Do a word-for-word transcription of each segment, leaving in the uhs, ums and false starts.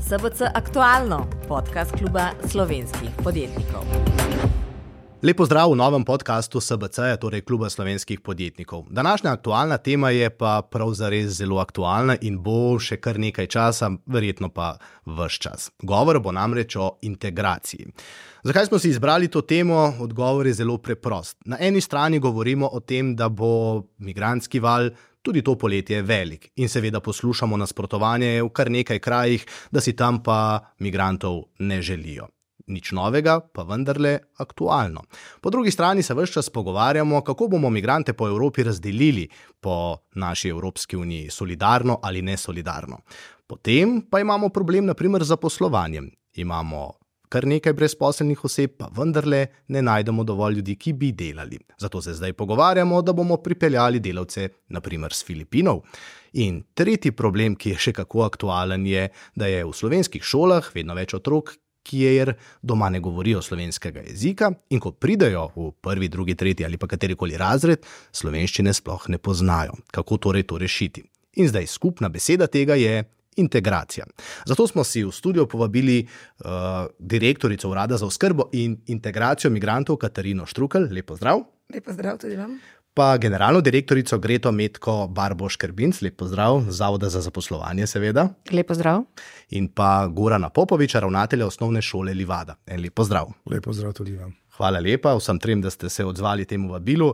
S B C Aktualno, podcast kluba slovenskih podjetnikov. Lep pozdrav v novem podcastu S B C, torej kluba slovenskih podjetnikov. Današnja aktualna tema je pa prav zares zelo aktualna in bo še kar nekaj časa, verjetno pa ves čas. Govor bo namreč o integraciji. Zakaj smo si izbrali to temo? Odgovor je zelo preprost. Na eni strani govorimo o tem, da bo migrantski val tudi to poletje velik in seveda poslušamo nasprotovanje v kar nekaj krajih, da si tam pa migrantov ne želijo. Nič novega, pa vendarle aktualno. Po drugi strani se ves čas pogovarjamo, kako bomo migrante po Evropi razdelili po naši Evropski uniji, solidarno ali nesolidarno. Potem pa imamo problem na primer z zaposlovanjem. Imamo kar nekaj brezposelnih oseb, pa vendarle ne najdemo dovolj ljudi, ki bi delali. Zato se zdaj pogovarjamo, da bomo pripeljali delavce na primer s Filipinov. In tretji problem, ki je še kako aktualen, je, da je v slovenskih šolah vedno več otrok, kjer doma ne govorijo slovenskega jezika in ko pridejo v prvi, drugi, tretji ali pa katerikoli razred, slovenščine sploh ne poznajo. Kako torej to rešiti? In zdaj skupna beseda tega je integracija. Zato smo si v studio povabili uh, direktorico Urada za oskrbo in integracijo migrantov Katarino Štrukelj. Lep pozdrav. Lep pozdrav tudi vam. Pa generalno direktorico Greto Metko Barbo-Škrbinc, lep pozdrav, Zavoda za zaposlovanje seveda. Lep pozdrav. In pa Gorana Popoviča, ravnatelja osnovne šole Livada. En lep pozdrav. Lep pozdrav tudi vam. Hvala lepa vsem trem, da ste se odzvali temu vabilu.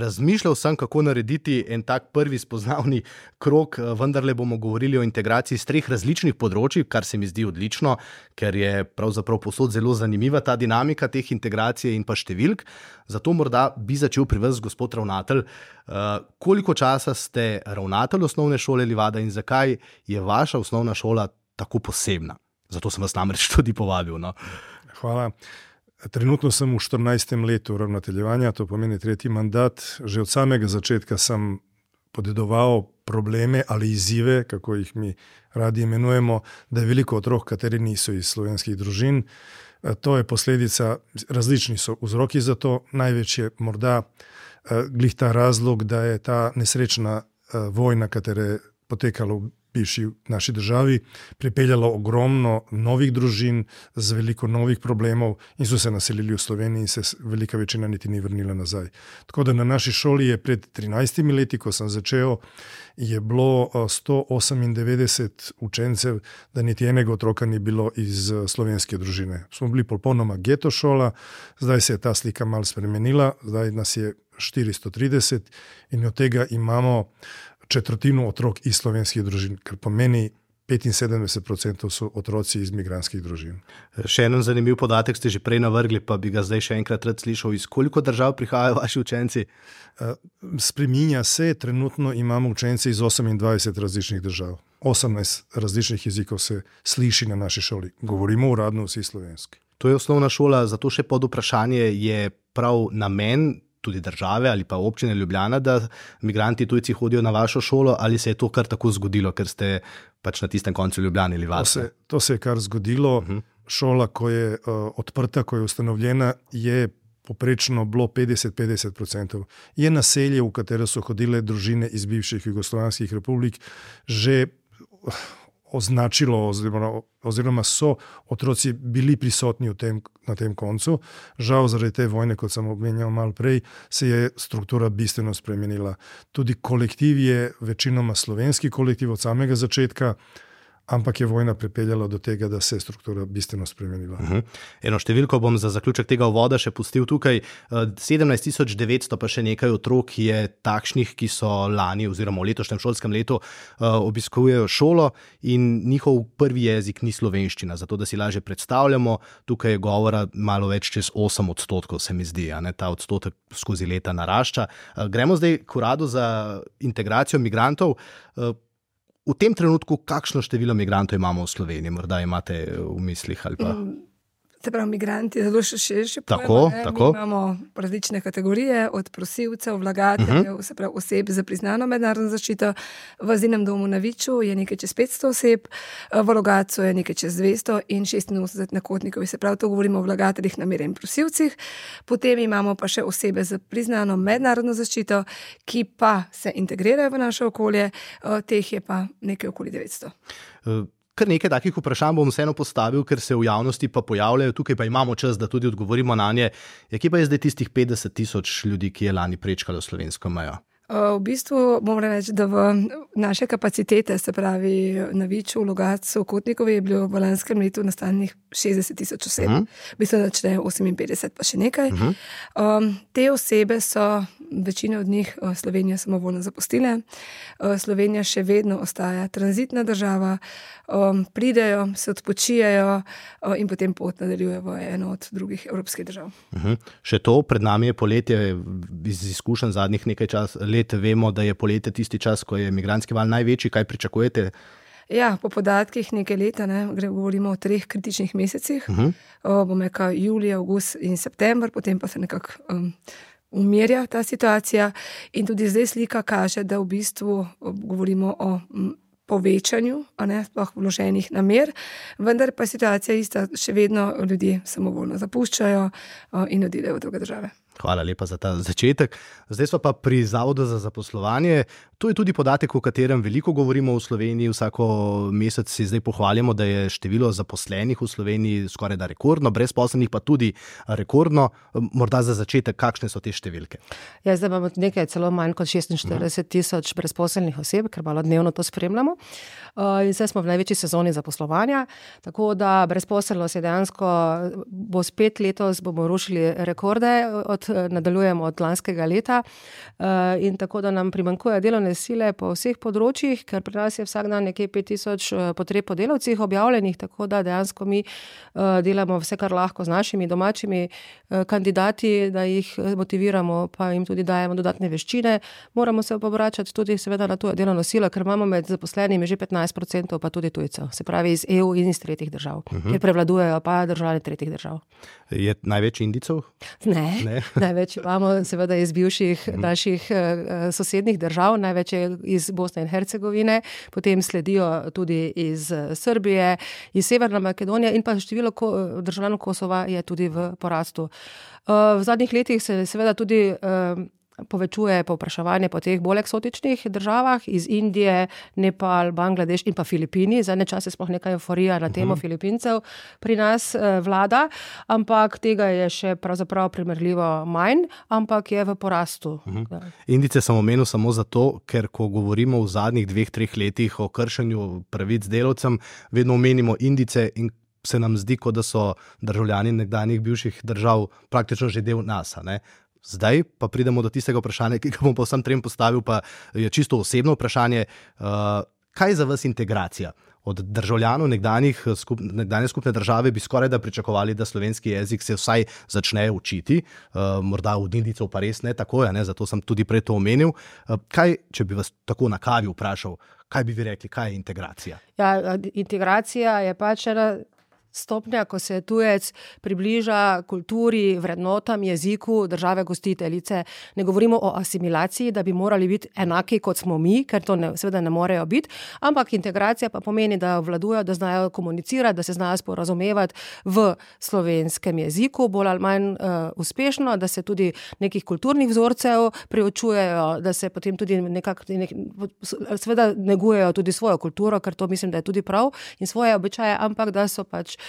Razmišljal sem, kako narediti en tak prvi spoznavni krog, vendarle bomo govorili o integraciji z treh različnih področij, kar se mi zdi odlično, ker je pravzaprav povsod zelo zanimiva ta dinamika teh integracije in pa številk. Zato morda bi začel pri vas, gospod ravnatelj. Koliko časa ste ravnatelj osnovne šole Livada in zakaj je vaša osnovna šola tako posebna? Zato sem vas namreč tudi povabil. No? Hvala. Trenutno sem v štirinajstem letu ravnateljevanja, to pomeni tretji mandat. Že od samega začetka sem podedoval probleme ali izzive, kako jih mi radi imenujemo, da je veliko otrok, kateri niso iz slovenskih družin. To je posledica, različni so vzroki za to. Največ je morda glih ta razlog, da je ta nesrečna vojna, katera je potekala v bivši naši državi, pripeljalo ogromno novih družin z veliko novih problemov in so se naselili v Sloveniji in se velika večina niti ni vrnila nazaj. Tako da na naši šoli je pred trinajstimi leti, ko sem začel, je bilo sto osemindevetdeset učencev, da niti enega otroka ni bilo iz slovenske družine. Smo bili popolnoma geto šola, zdaj se je ta slika malo spremenila, zdaj nas je štiristo trideset in od tega imamo četrtino otrok iz slovenskih družin, kar pomeni petinsedemdeset procentov so otroci iz migrantskih družin. Še en zanimiv podatek ste že prej navrgli, pa bi ga zdaj še enkrat rad slišal. Iz koliko držav prihajajo vaši učenci? Spreminja se, trenutno imamo učence iz osemindvajset različnih držav. osemnajst različnih jezikov se sliši na naši šoli. Govorimo uradno vsi slovenski. To je osnovna šola, zato še pod vprašanje je prav namen tudi države ali pa občine Ljubljana, da migranti tujci hodijo na vašo šolo, ali se je to kar tako zgodilo, ker ste pač na tistem koncu Ljubljane ali Livada? To se, to se je kar zgodilo. Uh-huh. Šola, ko je uh, odprta, ko je ustanovljena, je poprečno bilo petdeset do petdeset procentov. Je naselje, v katero so hodile družine iz bivših jugoslovanskih republik, že označilo oziroma, oziroma so otroci bili prisotni v tem, na tem koncu. Žal zaradi te vojne, kot sem omenjal malo prej, se je struktura bistveno spremenila. Tudi kolektiv je večinoma slovenski kolektiv od samega začetka, ampak je vojna pripeljala do tega, da se je struktura bistveno spremenila. Uh-huh. Eno številko bom za zaključek tega uvoda še pustil tukaj. sedemnajst tisoč devetsto pa še nekaj otrok je takšnih, ki so lani oziroma v letošnjem šolskem letu obiskujejo šolo in njihov prvi jezik ni slovenščina. Zato, da si lažje predstavljamo, tukaj je govora malo več čez osem odstotkov, se mi zdi, a ne, ta odstotek skozi leta narašča. Gremo zdaj k Uradu za integracijo migrantov. V tem trenutku, kakšno število migrantov imamo v Sloveniji? Morda imate v mislih ali pa... Se pravi, migranti, zelo še širše pojma. Tako, tako. Mi imamo različne kategorije, od prosilcev, vlagateljev, uh-huh. se pravi oseb za priznano mednarodno zaščito. V azilnem domu na Viču je nekaj čez petsto oseb, v Logatcu je nekaj čez dvesto in šestinosemdeset na Kotnikovi. Se pravi, to govorimo o vlagateljih, namere in prosilcih. Potem imamo pa še osebe za priznano mednarodno zaščito, ki pa se integrirajo v naše okolje, teh je pa nekaj okoli devetsto. kar nekaj takih vprašanj bom vseeno postavil, ker se v javnosti pa pojavljajo, tukaj pa imamo čas, da tudi odgovorimo na nje. Ja, kje pa je zdaj tistih petdeset tisoč ljudi, ki je lani prečkalo slovensko mejo? V bistvu moram reči, da v naše kapacitete, se pravi na Viču, v Logatcu, v Kotnikovi, je bilo v lanskem letu nastanjenih šestdeset tisoč oseb. Uh -huh. V bistvu začne oseminpetdeset pa še nekaj. Uh -huh. um, te osebe so, večina od njih Slovenijo samovoljno zapustile. Uh, Slovenija še vedno ostaja tranzitna država, um, pridejo, se odpočijajo uh, in potem pot nadaljujejo v eno od drugih evropskih držav. Uh -huh. Še to, pred nami je poletje, iz izkušenj zadnjih nekaj čas let vemo, da je poletje tisti čas, ko je migrantski val največji. Kaj pričakujete? Ja, po podatkih nekaj leta, ne, govorimo o treh kritičnih mesecih. Uh -huh. o, bom rekel, julij, avgust in september, potem pa se nekako um, umirja ta situacija. In tudi zdaj slika kaže, da v bistvu govorimo o m, povečanju, a ne sploh vloženih namer, vendar pa situacija ista, še vedno ljudje samovoljno zapuščajo o, in odidejo v druge države. Hvala lepa za ta začetek. Zdaj smo pa pri Zavodu za zaposlovanje. To je tudi podatek, o katerem veliko govorimo v Sloveniji. Vsako mesec si zdaj pohvalimo, da je število zaposlenih v Sloveniji skoraj da rekordno, brezposelnih pa tudi rekordno. Morda za začetek, kakšne so te številke? Ja, zdaj imamo nekaj celo manj kot šestinštirideset tisoč brezposelnih oseb, ker malo dnevno to spremljamo. In zdaj smo v največji sezoni zaposlovanja, tako da brezposelnost je dejansko, bo spet letos, bomo rušili rekorde, od, nadaljujemo od lanskega leta in tako da nam primanjkuje delovne sile po vseh področjih, ker pri nas je vsak dan nekje pet tisoč potreb po delavcih objavljenih, tako da dejansko mi delamo vse, kar lahko z našimi domačimi kandidati, da jih motiviramo, pa jim tudi dajemo dodatne veščine. Moramo se obračati tudi seveda na to delovno silo, ker imamo med zaposlenimi že petnajst procentov pa tudi tujcev, se pravi iz E U in iz tretjih držav, uh-huh. Ker prevladujejo pa državljani tretjih držav. Je največ Indijcev? Ne, ne. Največ imamo seveda iz bivših uh-huh. naših uh, sosednjih držav, največ je iz Bosne in Hercegovine, potem sledijo tudi iz Srbije, iz Severne Makedonije in pa število ko, državljanov Kosova je tudi v porastu. Uh, v zadnjih letih se seveda tudi uh, povečuje povpraševanje po teh bolj eksotičnih državah, iz Indije, Nepal, Bangladeš in pa Filipini. Zadnje čase sploh neka euforija na temo uh-huh. Filipincev pri nas eh, vlada, ampak tega je še pravzaprav primerljivo manj, ampak je v porastu. Uh-huh. Indijce sem omenil samo zato, ker ko govorimo v zadnjih dveh, treh letih o kršenju pravic delavcem, vedno omenimo Indijce in se nam zdi, kot da so državljani nekdanjih bivših držav praktično že del nas, ne? Zdaj pa pridemo do tistega vprašanja, ki ga bom pa vsem trem postavil, pa je čisto osebno vprašanje. Uh, kaj je za vas integracija? Od državljanov nekdanjih skup, nekdanje skupne države bi skoraj da pričakovali, da slovenski jezik se vsaj začne učiti. Uh, morda od Indijcev pa res ne tako, ne? Zato sem tudi prej to omenil. Uh, kaj, če bi vas tako na kavi vprašal, kaj bi vi rekli, kaj je integracija? Ja, integracija je pač ena stopnja, ko se tujec približa kulturi, vrednotam, jeziku države gostiteljice. Ne govorimo o asimilaciji, da bi morali biti enaki kot smo mi, ker to ne, seveda ne morejo biti, ampak integracija pa pomeni, da vladujo, da znajo komunicirati, da se znajo sporazumevati v slovenskem jeziku, bolj ali manj uh, uspešno, da se tudi nekih kulturnih vzorcev preučujejo, da se potem tudi nekako, nek, seveda negujejo tudi svojo kulturo, ker to mislim, da je tudi prav, in svoje običaje, ampak da so pač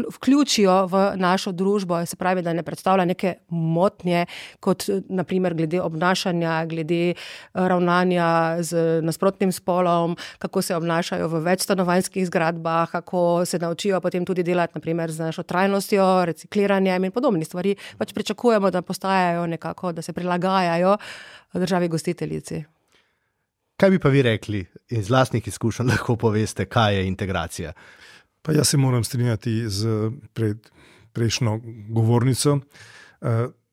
vključijo v našo družbo, se pravi, da ne predstavlja neke motnje, kot naprimer glede obnašanja, glede ravnanja z nasprotnim spolom, kako se obnašajo v večstanovanjskih zgradbah, kako se naučijo potem tudi delati naprimer z našo trajnostjo, recikliranjem in podobnih stvari. Pač pričakujemo, da postajajo nekako, da se prilagajajo državi gostiteljici. Kaj bi pa vi rekli, iz lastnih izkušenj lahko poveste, kaj je integracija? Pa jaz se moram strinjati z pred, prejšnjo govornico. Uh,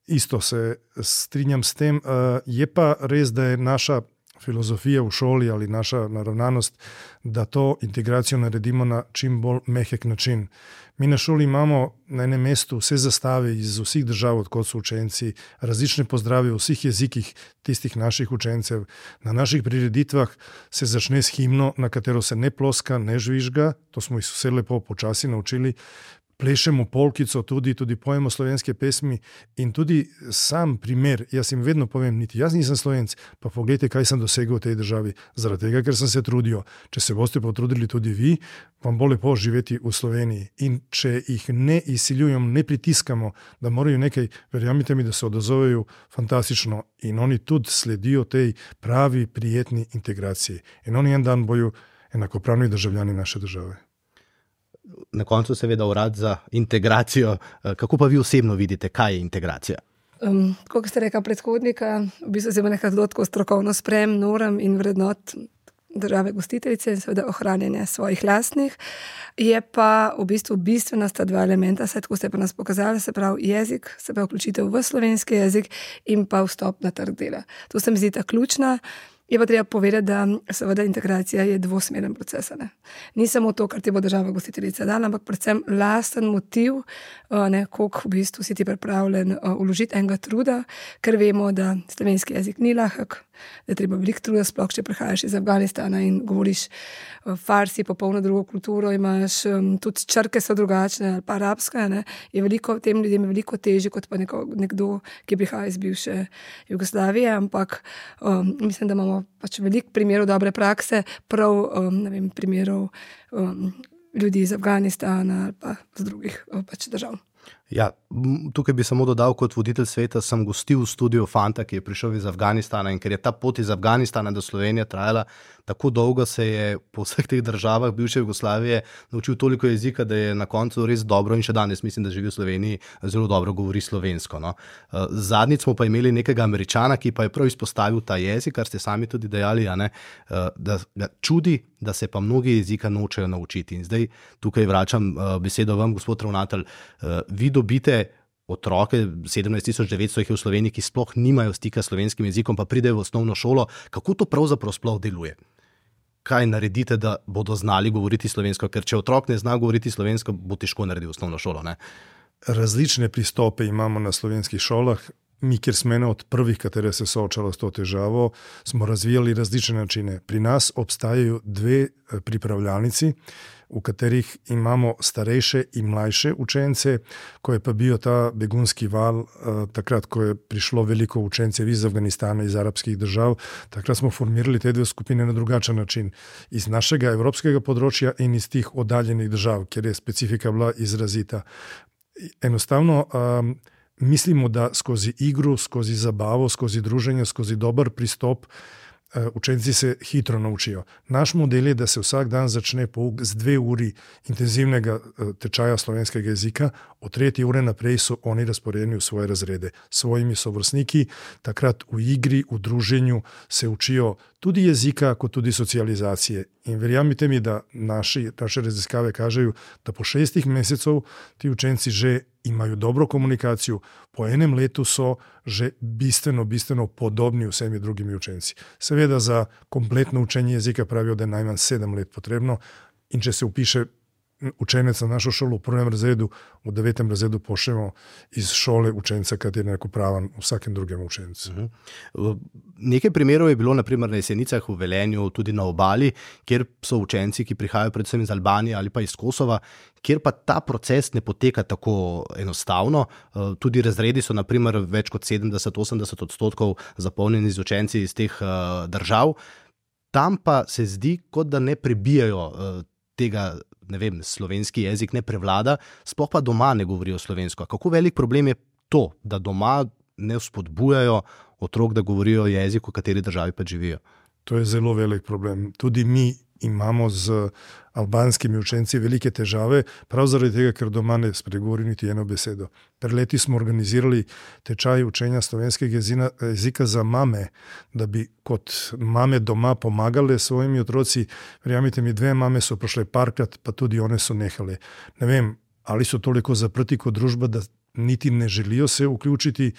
isto se strinjam s tem. Uh, je pa res, da je naša filozofija v šoli ali naša naravnanost, da to integracijo naredimo na čim bolj mehek način. Mi na šoli imamo na enem mestu vse zastave iz vseh držav, odkot so učenci, različne pozdrave v vseh jezikih tistih naših učencev. Na naših prireditvah se začne s himno, na katero se ne ploska, ne žvižga, to smo jih vse lepo počasi naučili. plešemo polkico, tudi, tudi pojemo slovenske pesmi in tudi sam primer, jaz jim vedno povem, niti jaz nisem Slovenc, pa pogledajte, kaj sem dosegel v tej državi, zaradi tega, ker sem se trudil. Če se boste potrudili tudi vi, vam bo lepo živeti v Sloveniji. In če jih ne izsiljujemo, ne pritiskamo, da morajo nekaj, verjamite mi, da se odazovejo fantastično in oni tudi sledijo tej pravi, prijetni integraciji. In oni en dan bojo enakopravni državljani naše države. Na koncu seveda urad za integracijo. Kako pa vi osebno vidite, kaj je integracija? Um, kot ste rekla predhodnika, v bistvu se ima nekaj zelo strokovno sprem norm in vrednot države gostiteljice in seveda ohranjanje svojih lastnih. Je pa v bistvu bistvena sta dva elementa, saj tako ste pa nas pokazali, se pravi jezik, se pravi vključitev v slovenski jezik in pa vstop na trg dela. To se mi zdi ta ključna. Je pa treba povedati, da seveda integracija je dvosmeren proces. Ne? Ni samo to, kar ti bo država gostiteljica dala, ampak predvsem lasten motiv, ne, koliko v bistvu si ti pripravljen vložiti enega truda, ker vemo, da slovenski jezik ni lahek, da je treba veliko truda, sploh če prihajaš iz Afganistana in govoriš farsi, popolno drugo kulturo, imaš tudi črke so drugačne ali pa arabska, ne, je veliko, tem ljudem je veliko težje kot pa neko, nekdo, ki prihaja iz bivše Jugoslavije, ampak um, mislim, da imamo pač veliko primerov dobre prakse, prav um, ne vem, primerov um, ljudi iz Afganistana ali pa z drugih um, pač držav. Ja, tukaj bi samo dodal, kot voditelj sveta sem gostil v studiu fanta, ki je prišel iz Afganistana in ker je ta pot iz Afganistana do Slovenije trajala tako dolgo, se je po vseh teh državah bivše Jugoslavije naučil toliko jezika, da je na koncu res dobro in še danes mislim, da živi v Sloveniji, zelo dobro govori slovensko. No. Zadnjič smo pa imeli nekega Američana, ki pa je prav izpostavil ta jezik, kar ste sami tudi dejali, a ne, da ga čudi, da se pa mnogi jezika nočejo naučiti. In zdaj tukaj vračam besedo vam, gospod ravnatelj, vi dobite otroke, sedemnajst tisoč devetsto jih je v Sloveniji, ki sploh nimajo stika s slovenskim jezikom, pa pridejo v osnovno šolo. Kako to pravzaprav sploh deluje? Kaj naredite, da bodo znali govoriti slovensko? Ker če otrok ne zna govoriti slovensko, bo težko narediti osnovno šolo, ne? Različne pristope imamo na slovenskih šolah. Mi, kjer smo ena od prvih, katere se soočalo s to težavo, smo razvijali različne načine. Pri nas obstajajo dve pripravljalnici, v katerih imamo starejše in mlajše učence, ko je pa bil ta begunski val, takrat, ko je prišlo veliko učencev iz Afganistana, iz arabskih držav, takrat smo formirali te dve skupine na drugačen način. Iz našega evropskega področja in iz tih oddaljenih držav, kjer je specifika bila izrazita. Enostavno, um, mislimo, da skozi igru, skozi zabavo, skozi druženje, skozi dober pristop učenci se hitro naučijo. Naš model je, da se vsak dan začne pouk z dve uri intenzivnega tečaja slovenskega jezika, od tretje ure naprej so oni razporejeni v svoje razrede. S svojimi sovrstniki, takrat v igri, v druženju se učijo tudi jezika, kot tudi socializacije. In verjamite mi, da naši, naše raziskave kažejo, da po šestih mesecev ti učenci že imajo dobro komunikacijo, po enem letu so že bistveno, bistveno podobni vsemi drugimi učenci. Seveda za kompletno učenje jezika pravijo, da je najmanj sedem let potrebno in če se upiše učenec na našo šolo v prvem razredu, v devetem razredu pošljemo iz šole učenca, ki je enakopraven vsakem drugem učencu. Uh-huh. Nekaj primerov je bilo naprimer na Jesenicah, v Velenju, tudi na Obali, kjer so učenci, ki prihajajo predvsem iz Albanije ali pa iz Kosova, kjer pa ta proces ne poteka tako enostavno. Tudi razredi so naprimer več kot sedemdeset do osemdeset odstotkov zapolnjeni z učenci iz teh držav. Tam pa se zdi, kot da ne prebijajo tega, ne vem, slovenski jezik ne prevlada, sploh pa doma ne govorijo slovensko. Kako velik problem je to, da doma ne vzpodbujajo otrok, da govorijo jezik, v kateri državi pa živijo? To je zelo velik problem. Tudi mi imamo z albanskimi učenci velike težave, prav zaradi tega, ker doma ne spregovori niti eno besedo. Pred leti smo organizirali tečaj učenja slovenskega jezika za mame, da bi kot mame doma pomagale svojimi otroci. Verjamite mi, dve mame so prišle parkrat, pa tudi one so nehale. Ne vem, ali so toliko zaprti kot družba, da niti ne želijo se vključiti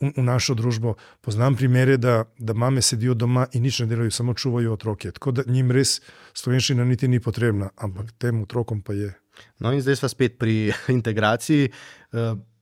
v, v našo družbo. Poznam primere, da, da mame sedijo doma in nič ne delajo, samo čuvajo otroke. Tako da njim res slovenščina niti ni potrebna, ampak tem otrokom pa je. No in zdaj sva spet pri integraciji.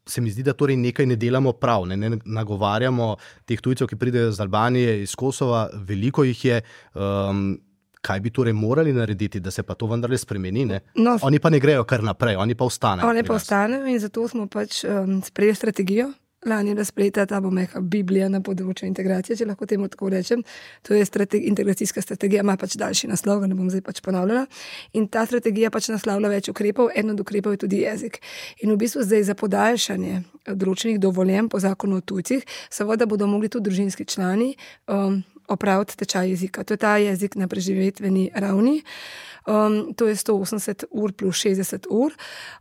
Se mi zdi, da torej nekaj ne delamo prav, ne, ne nagovarjamo teh tujcev, ki pridejo iz Albanije, iz Kosova, veliko jih je. Um, kaj bi torej morali narediti, da se pa to vendarle spremeni? Ne? No, oni pa ne grejo kar naprej, oni pa ostanejo. Oni pa ostanejo in zato smo pač um, sprejeli strategijo. Lani je bila sprejeta ta bomeka Biblija na področju integracije, če lahko temu tako rečem. To je strategi, integracijska strategija, ima pač daljši naslov, ne bom zdaj pač ponavljala. In ta strategija pač naslavlja več ukrepov, eno od ukrepov je tudi jezik. In v bistvu zdaj za podaljšanje določenih dovoljenj po zakonu o tujcih, seveda bodo mogli tudi družinski člani um, opraviti tečaj jezika. To je ta jezik na preživetveni ravni. Um, to je sto osemdeset ur plus šestdeset ur.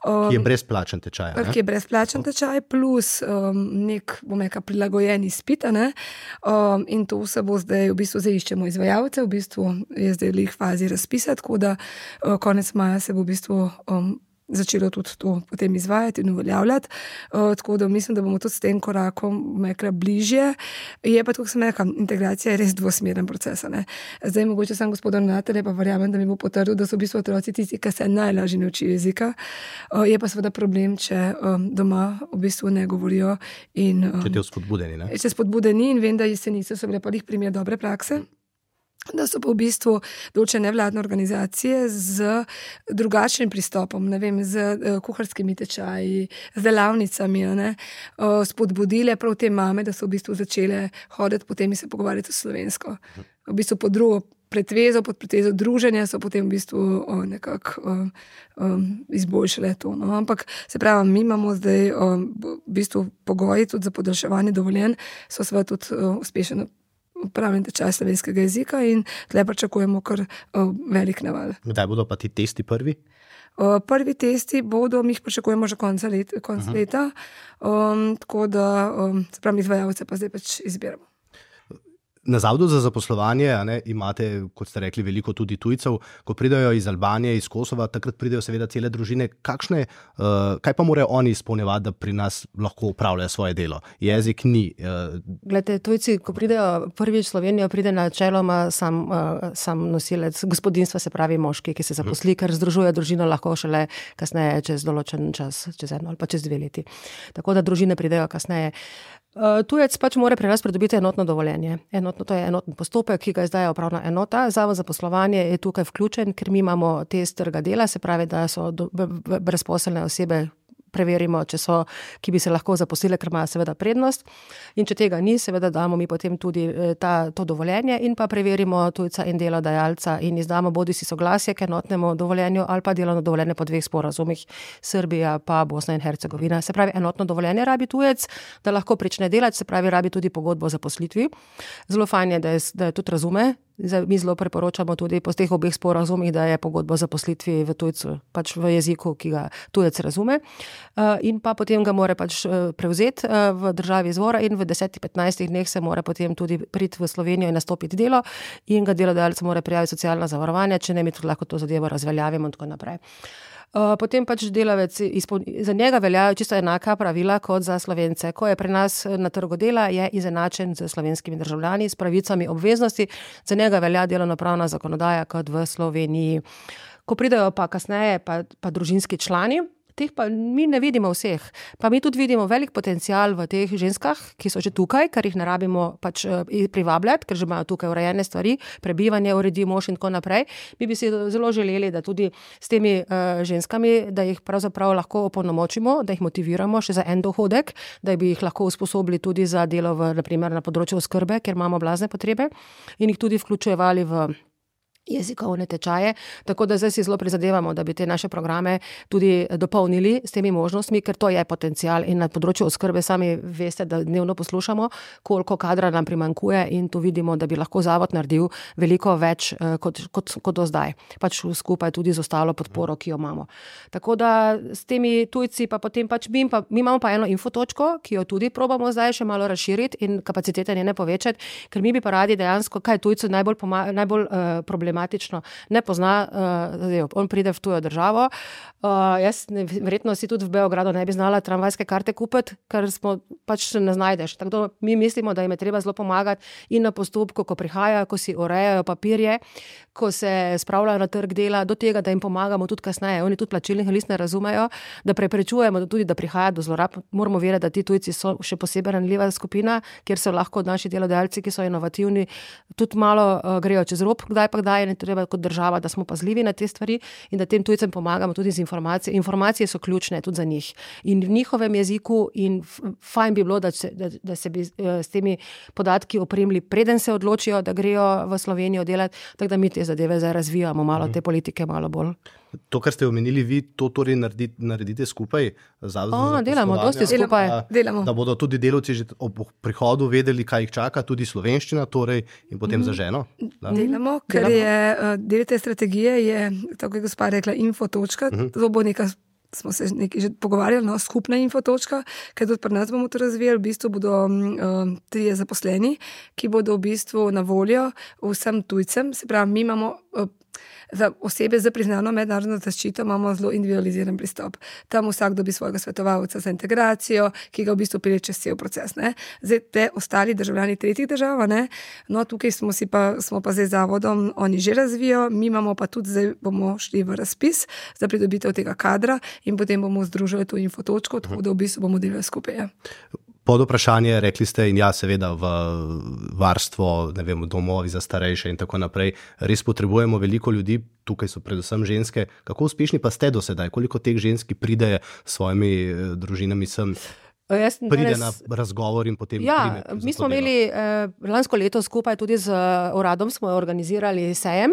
Um, ki je brezplačen tečaj. Ne? Ki je brezplačen tečaj plus um, nek, bom rekel, prilagojen izpit. Um, in to se bo zdaj, v bistvu zdaj iščemo izvajalce, v bistvu je zdaj v fazi razpisa, tako da uh, konec maja se bo v bistvu um, začelo tudi to potem izvajati in uveljavljati. Uh, tako da mislim, da bomo tudi s tem korakom mekla bližje. Je pa, tako sem rekla, integracija je res dvosmeren proces. Ne? Zdaj mogoče sem gospod ravnatelj, pa verjamem, da mi bo potrdil, da so v bistvu otroci tisti, ki se najlažje ne učijo jezika. Uh, je pa seveda problem, če um, doma v bistvu ne govorijo. In, um, če te spodbudeni, ne? Če spodbudeni in vem, da jesenice so bile pa jih primer dobre prakse. Da so pa v bistvu določene nevladne organizacije z drugačnim pristopom, ne vem, z uh, kuharskimi tečaji, z delavnicami, ne, uh, spodbudile prav te mame, da so v bistvu začele hoditi potem in se pogovarjati slovensko. V bistvu pod drugo pretvezo, pod pretvezo druženja so potem v bistvu uh, nekako uh, um, izboljšale to. No. Ampak se pravi, mi imamo zdaj uh, v bistvu pogoji tudi za podaljševanje dovoljenj, so seveda tudi uh, uspešno upravljen tečaj slovenskega jezika in tle pričakujemo kar uh, velik naval. Kdaj bodo pa ti testi prvi? Uh, prvi testi bodo, mi jih pričakujemo že konca let, konc uh-huh. leta, um, tako da um, se pravi, izvajalce pa zdaj pač izbiramo. Na Zavodu za zaposlovanje a ne, imate, kot ste rekli, veliko tudi tujcev. Ko pridejo iz Albanije, iz Kosova, takrat pridejo seveda cele družine. Kakšne, uh, kaj pa morajo oni izpolnjevati, da pri nas lahko upravljajo svoje delo? Jezik ni. Uh... Glede, tujci, ko pridejo prvič v Slovenijo, pride načeloma sam, uh, sam nosilec gospodinstva, se pravi moški, ki se zaposli, ker združuje družino lahko šele kasneje, čez določen čas, čez eno ali pa čez dve leti. Tako da družine pridejo kasneje. Uh, tujec pač mora pri nas pridobiti enotno dovoljenje. Enotno, to je enoten postopek, ki ga izdaja upravna enota. Zavod za poslovanje je tukaj vključen, ker mi imamo test trga dela, se pravi, da so do, b, b, brezposelne osebe, preverimo, če so, ki bi se lahko zaposlile, ker imajo seveda prednost. In če tega ni, seveda damo mi potem tudi ta, to dovoljenje in pa preverimo tujca in delodajalca in izdamo bodisi soglasje k enotnemu dovoljenju ali pa delovno dovoljenje po dveh sporazumih, Srbija pa Bosna in Hercegovina. Se pravi, enotno dovoljenje rabi tujec, da lahko prične delati, se pravi, rabi tudi pogodbo o zaposlitvi. Zelo fajn je, da je, da je tudi razume. Mi zelo priporočamo tudi po teh obeh sporazumih, da je pogodba o zaposlitvi v tujcu, pač v jeziku, ki ga tujec razume. In pa potem ga mora pač prevzeti v državi izvora in v desetih, petnajstih dneh se mora potem tudi priti v Slovenijo in nastopiti delo in ga delodajalec mora prijaviti socialna zavarovanja, če ne mi tudi lahko to zadevo razveljavimo in tako naprej. Potem pač delavec, za njega veljajo čisto enaka pravila kot za Slovence. Ko je pri nas na trgu dela, je izenačen z slovenskimi državljani, s pravicami obveznosti, za njega velja delovnopravna zakonodaja kot v Sloveniji. Ko pridejo pa kasneje pa, pa družinski člani, teh pa mi ne vidimo vseh. Pa mi tudi vidimo velik potencial v teh ženskah, ki so že tukaj, ker jih ne rabimo pač privabljati, ker že imajo tukaj urejene stvari, prebivanje uredi mož in tako naprej. Mi bi si zelo želeli, da tudi s temi uh, ženskami, da jih pravzaprav lahko opolnomočimo, da jih motiviramo še za en dohodek, da bi jih lahko usposobili tudi za delo v, naprimer, na področju oskrbe, ker imamo blazne potrebe in jih tudi vključevali v jezikovne tečaje, tako da zdaj si zelo prizadevamo, da bi te naše programe tudi dopolnili s temi možnostmi, ker to je potencial in na področju oskrbe sami veste, da dnevno poslušamo, koliko kadra nam primanjkuje in tu vidimo, da bi lahko zavod naredil veliko več kot, kot, kot do zdaj. Pač skupaj tudi z ostalo podporo, ki jo imamo. Tako da s temi tujci pa potem pač mi, pa, mi imamo pa eno infotočko, ki jo tudi probamo zdaj še malo razširiti in kapacitete njene povečati, ker mi bi pa radi dejansko, kaj tujcu najbolj, poma- najbolj uh, problematično ne pozna, uh, on pride v tujo državo. Uh, jaz ne, verjetno si tudi v Beogradu ne bi znala tramvajske karte kupiti, ker smo pač ne znajdeš. Tako da mi mislimo, da jim je treba zelo pomagati in na postopku, ko prihajajo, ko si urejajo papirje, ko se spravljajo na trg dela, do tega, da jim pomagamo tudi kasneje. Oni tudi plačilnih list ne razumejo, da preprečujemo tudi, da prihaja do zlorab. Moramo verjeti, da ti tujci so še posebej ranljiva skupina, kjer so lahko naši delodajalci, ki so inovativni, tudi malo uh, grejo čez rob, kdaj pa kdaj in treba kot država, da smo pazljivi na te stvari in da tem tujcem pomagamo tudi z informacijami. Informacije so ključne tudi za njih in v njihovem jeziku in fajn bi bilo, da se, da, da se bi s temi podatki opremili, preden se odločijo, da grejo v Slovenijo delati, tako da mi te zadeve zdaj razvijamo malo, te politike malo bolj. To, kar ste omenili, vi to torej naredite, naredite skupaj? O, delamo, dosti skupaj. Da, delamo. Da bodo tudi delavci že ob prihodu vedeli, kaj jih čaka, tudi slovenščina torej in potem mm. za ženo? Da? Delamo, ker delamo. je del te strategije, je, tako je gospa rekla, infotočka, mm-hmm. to bo neka smo se nekaj že pogovarjali, no, skupna infotočka, ker tudi pri nas bomo to razvijali, v bistvu bodo um, trije zaposleni, ki bodo v bistvu na voljo vsem tujcem, se pravi, mi imamo uh, za osebe za priznano mednarodno zaščito imamo zelo individualiziran pristop. Tam vsak dobi svojega svetovalca za integracijo, ki ga v bistvu pelje čez cel proces. Ne. Zdaj te ostali državljani tretjih držav, ne, no tukaj smo, si pa, smo pa zdaj zavodom, oni že razvijo, mi imamo pa tudi zdaj bomo šli v razpis za pridobitev tega kadra in potem bomo združili to infotočko, tako da v bistvu bomo delali skupaj. Pod vprašanje, rekli ste, in ja, seveda v varstvo, ne vem, domovi za starejše in tako naprej, res potrebujemo veliko ljudi, tukaj so predvsem ženske. Kako uspešni pa ste do sedaj? Koliko teh ženski pride s svojimi družinami sem? Jaz, pride res, na razgovor in potem ja, prime. Mi smo imeli eh, lansko leto skupaj tudi z uradom smo organizirali sejem,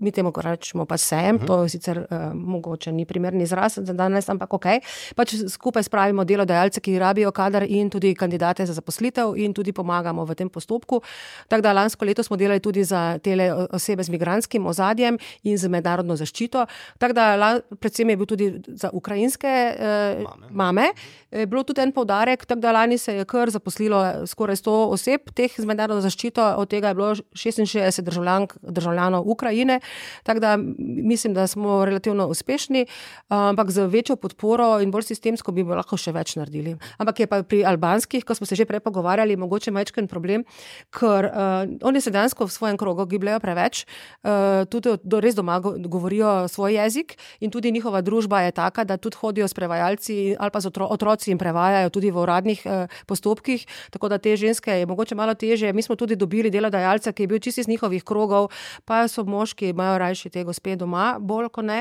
mi temu rečemo pa sejem, uh-huh. to sicer eh, mogoče ni primerni izraz za danes, ampak ok. Pač skupaj spravimo delodajalce, ki rabijo kader in tudi kandidate za zaposlitev in tudi pomagamo v tem postopku. Tako da lansko leto smo delali tudi za tele osebe z migrantskim ozadjem in z mednarodno zaščito. Tako da predvsem je bil tudi za ukrajinske eh, mame. mame. Je bilo tudi en poudarek, tako da lani se je kar zaposlilo skoraj sto oseb, teh z mednarodno zaščito, od tega je bilo šestinšestdeset državljank, državljanov Ukrajine, tako da mislim, da smo relativno uspešni, ampak z večjo podporo in bolj sistemsko bi lahko še več naredili. Ampak je pa pri albanskih, ko smo se že prej pogovarjali, mogoče majčken problem, ker uh, oni se dejansko v svojem krogu gibljajo preveč, uh, tudi do, res doma govorijo svoj jezik in tudi njihova družba je taka, da tudi hodijo s prevajalci ali pa z otro, otroci in prevajajo tudi v uradnih eh, postopkih, tako da te ženske je mogoče malo težje. Mi smo tudi dobili delodajalca, ki je bil čisto iz njihovih krogov, pa so moški, imajo rajši te gospe doma, bolj kot ne.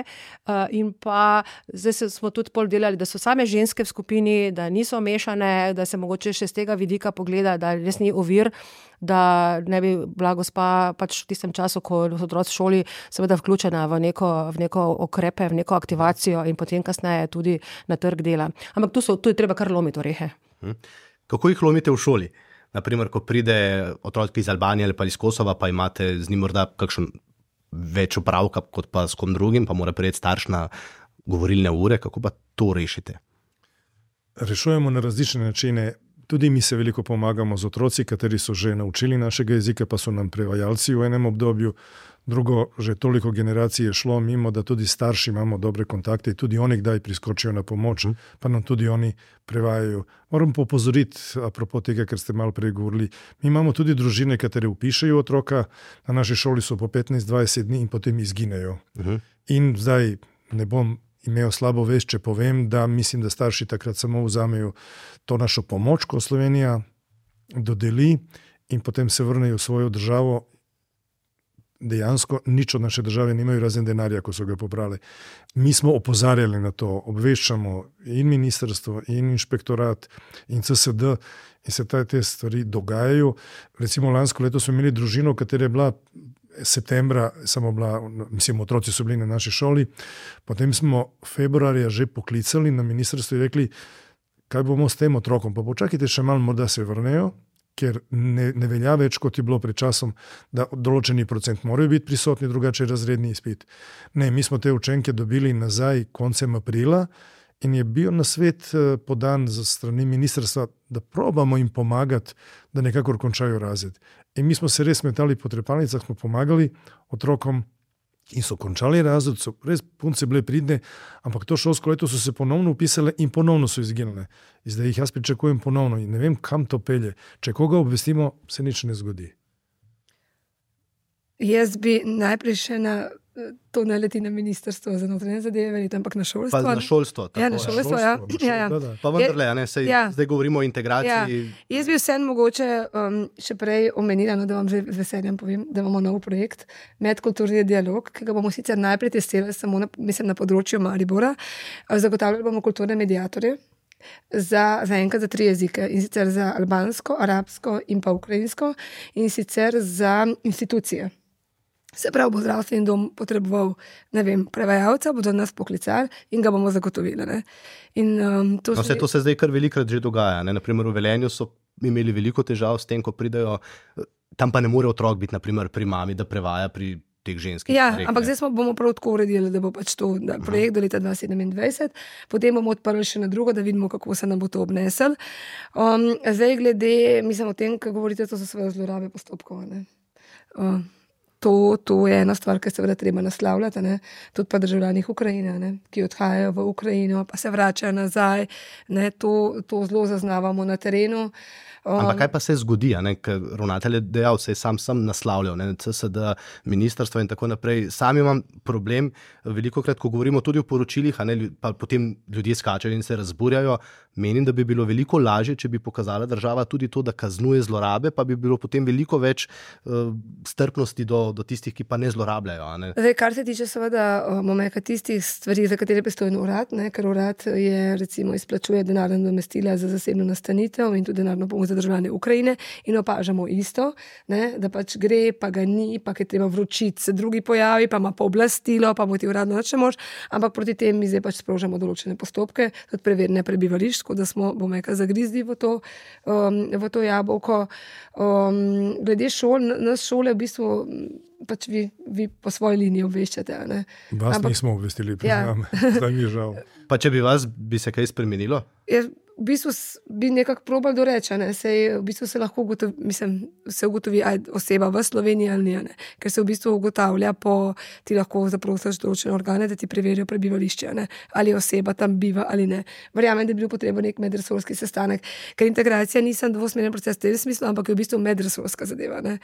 Uh, in pa zdaj smo tudi pol delali, da so same ženske v skupini, da niso mešane, da se mogoče še z tega vidika pogleda, da res ni ovir, da ne bi bila gospa pač v tistem času, ko so otroci v šoli, seveda vključena v neko, v neko okrepe, v neko aktivacijo in potem kasneje tudi na trg dela. Ampak tu, so, tu je treba kar lomiti orehe. Kako jih lomite v šoli? Naprimer, ko pride otrok iz Albanije ali pa iz Kosova, pa imate z njim morda kakšen več opravka kot pa s kom drugim, pa mora prejeti starš na govorilne ure. Kako pa to rešite? Rešujemo na različne načine. Tudi mi se veliko pomagamo z otroci, kateri so že naučili našega jezika, pa so nam prevajalci v enem obdobju. Drugo, že toliko generacij je šlo mimo, da tudi starši imamo dobre kontakte in tudi oni kdaj priskočijo na pomoč, pa nam tudi oni prevajajo. Moram pa opozoriti, apropo tega, ker ste malo prej govorili, mi imamo tudi družine, katere upišejo otroka, na naši šoli so po petnajst dvajset dni in potem izginejo. Uh-huh. In zdaj ne bom imel slabo vest, če povem, da mislim, da starši takrat samo vzamejo to našo pomoč, ko Slovenija dodeli in potem se vrnejo v svojo državo. Dejansko nič od naše države nimajo razen denarja, ko so ga pobrali. Mi smo opozarjali na to, obveščamo in ministrstvo, in inšpektorat, in C S D in se te stvari dogajajo. Recimo lansko leto smo imeli družino, katera je bila septembra, samo bila, mislim, otroci so bili na naši šoli, potem smo februarja že poklicali na ministrstvo in rekli, kaj bomo s tem otrokom, pa počakajte še malo, morda se vrnejo, ker ne, ne velja več, kot je bilo pred časom, da določeni procent morajo biti prisotni, drugače razredni izpit. Ne, mi smo te učenke dobili nazaj koncem aprila in je bil nasvet podan za strani ministrstva, da probamo jim pomagati, da nekako končajo razred. In mi smo se res metali po trepalnicah, smo pomagali otrokom in so končali razred, so res punce bile pridne, ampak to šolsko leto so se ponovno upisale in ponovno so izginile. In zdaj jih jaz pričakujem ponovno in ne vem, kam to pelje. Če koga obvestimo, se nič ne zgodi. Jaz bi najprej še na to ne leti na ministrstvo za notranje zadeve, ampak na šolstvo. Pa na šolstvo. Ja, na šolstvo, ja. ja, ja. Pa vendarle, ne, sej, ja. Zdaj govorimo o integraciji. Ja. Jaz bi vsem mogoče um, še prej omenila, no, da vam že z veseljem povem, da imamo nov projekt, medkulturni dialog, ki ga bomo sicer najprej testirali samo na, mislim, na področju Maribora. Zagotavljali bomo kulturne mediatorje za, za enkrat za tri jezike, in sicer za albansko, arabsko in pa ukrajinsko, in sicer za institucije. Se pravi, bo zdravstveni dom potreboval, ne vem, prevajalca, bodo nas poklicali in ga bomo zagotovili. Ne? In, um, to, no, se, to se zdaj kar velikrat že dogaja. Ne? Naprimer, v Velenju so imeli veliko težav s tem, ko pridejo, tam pa ne more otrok biti, naprimer, pri mami, da prevaja pri teh ženskih. Ja, starih, ampak zdaj smo bomo prav tako uredili, da bo pač to da, projekt do leta dva tisoč sedemindvajset, potem bomo odprli še na drugo, da vidimo, kako se nam bo to obnesel. Um, zdaj glede, mislim o tem, kaj govorite, to so svoje zlorabe postopkov. Uh, To, to je ena stvar, ki se seveda treba naslavljati, ne? Tudi pa državljanih Ukrajine, ne? Ki odhajajo v Ukrajino, pa se vračajo nazaj, ne? To, to zelo zaznavamo na terenu. Um, Ampak kaj pa se zgodi, ne? Ker ravnatelj je dejal, se je sam sam naslavljal, ne? C S D, ministrstvo in tako naprej. Sam imam problem, velikokrat, ko govorimo tudi o poročilih, a ne, pa potem ljudje skačajo in se razburjajo. Menim, da bi bilo veliko lažje, če bi pokazala država tudi to, da kaznuje zlorabe, pa bi bilo potem veliko več uh, strpnosti do, do tistih, ki pa ne zlorabljajo. Ne? Zdaj, kar se tiče seveda momeka tistih stvari, za katere pristojen urad, ne? Ker urad je recimo izplačuje denarna nadomestila za zasebno nastanitev in tudi denarno pomoč za državljane Ukrajine in opažamo isto, ne? Da pač gre, pa ga ni, pa je treba vročiti, se drugi pojavi, pa ima pooblastilo, pa mu ti uradno nič ne mož, ampak proti tem mi zdaj pač sprožamo določene postopke, tudi preverjanje prebivališč, da smo, bomo rekel, zagrizli v to, um, v to jabolko. Um, glede šol, nas šole v bistvu pač vi, vi po svoji liniji obveščate. Ne? Vas Ampak, nismo obvestili, priznam, ja. Zdaj mi je žal. Pa če bi vas, bi se kaj spremenilo? Je, v bistvu bi nekako probali doreči, ne? Sej, v bistvu se lahko ugotovi, mislim, se ugotovi aj oseba v Sloveniji ali ne, ker se v bistvu ugotavlja po, ti lahko zaprosiš določene organe, da ti preverijo prebivališče, ne? Ali oseba tam biva ali ne. Verjamem, da bi bil potreben nek medresorski sestanek, ker integracija ni samo dvosmeren proces v tem smislu, ampak je v bistvu medresorska zadeva. Ne?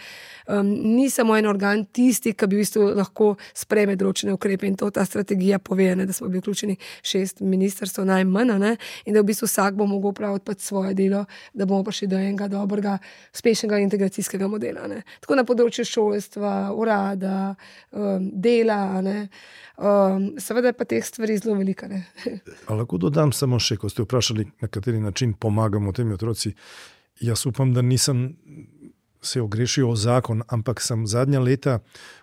Um, ni samo en organ tisti, ki bi v bistvu lahko sprejme določene ukrepe in to ta strategija pove, ne? Da smo bili vključeni šest ministrstv najmanj, ne? In da v bistvu vsak bo mogel praviti pač svoje delo, da bomo prišli do enega dobrega, uspešnega integracijskega modela. Ne. Tako na področju šolstva, urada, um, dela, ne. Um, seveda je pa teh stvari zelo velika. Ne. A lahko dodam samo še, ko ste vprašali, na kateri način pomagamo temi otroci. Jaz upam, da nisem se ogrešil o zakon, ampak sem zadnja leta,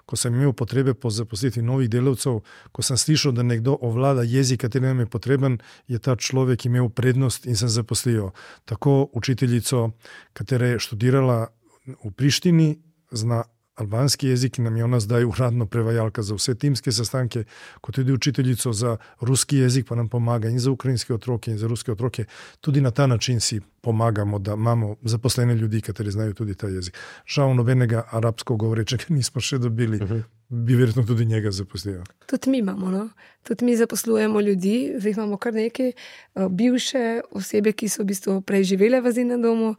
ko sem imel potrebe po zaposlitvi novih delavcev, ko sem slišal, da nekdo ovlada jezik, kateri nam je potreben, je ta človek imel prednost in sem zaposlil tako učiteljico, katera je študirala v Prištini, zna albanski jezik in nam je ona zdaj uradno prevajalka za vse timske sestanke, kot tudi učiteljico za ruski jezik, pa nam pomaga in za ukrajinske otroke in za ruske otroke. Tudi na ta način si pomagamo, da imamo zaposlene ljudi, kateri znajo tudi ta jezik. Žal nobenega arabsko govorečega nismo še dobili, uh-huh. Bi verjetno tudi njega zaposlili. Tudi mi imamo, no? Tudi mi zaposlujemo ljudi, zdaj imamo kar nekaj bivše osebe, ki so v bistvu prej živele v azilnem domu,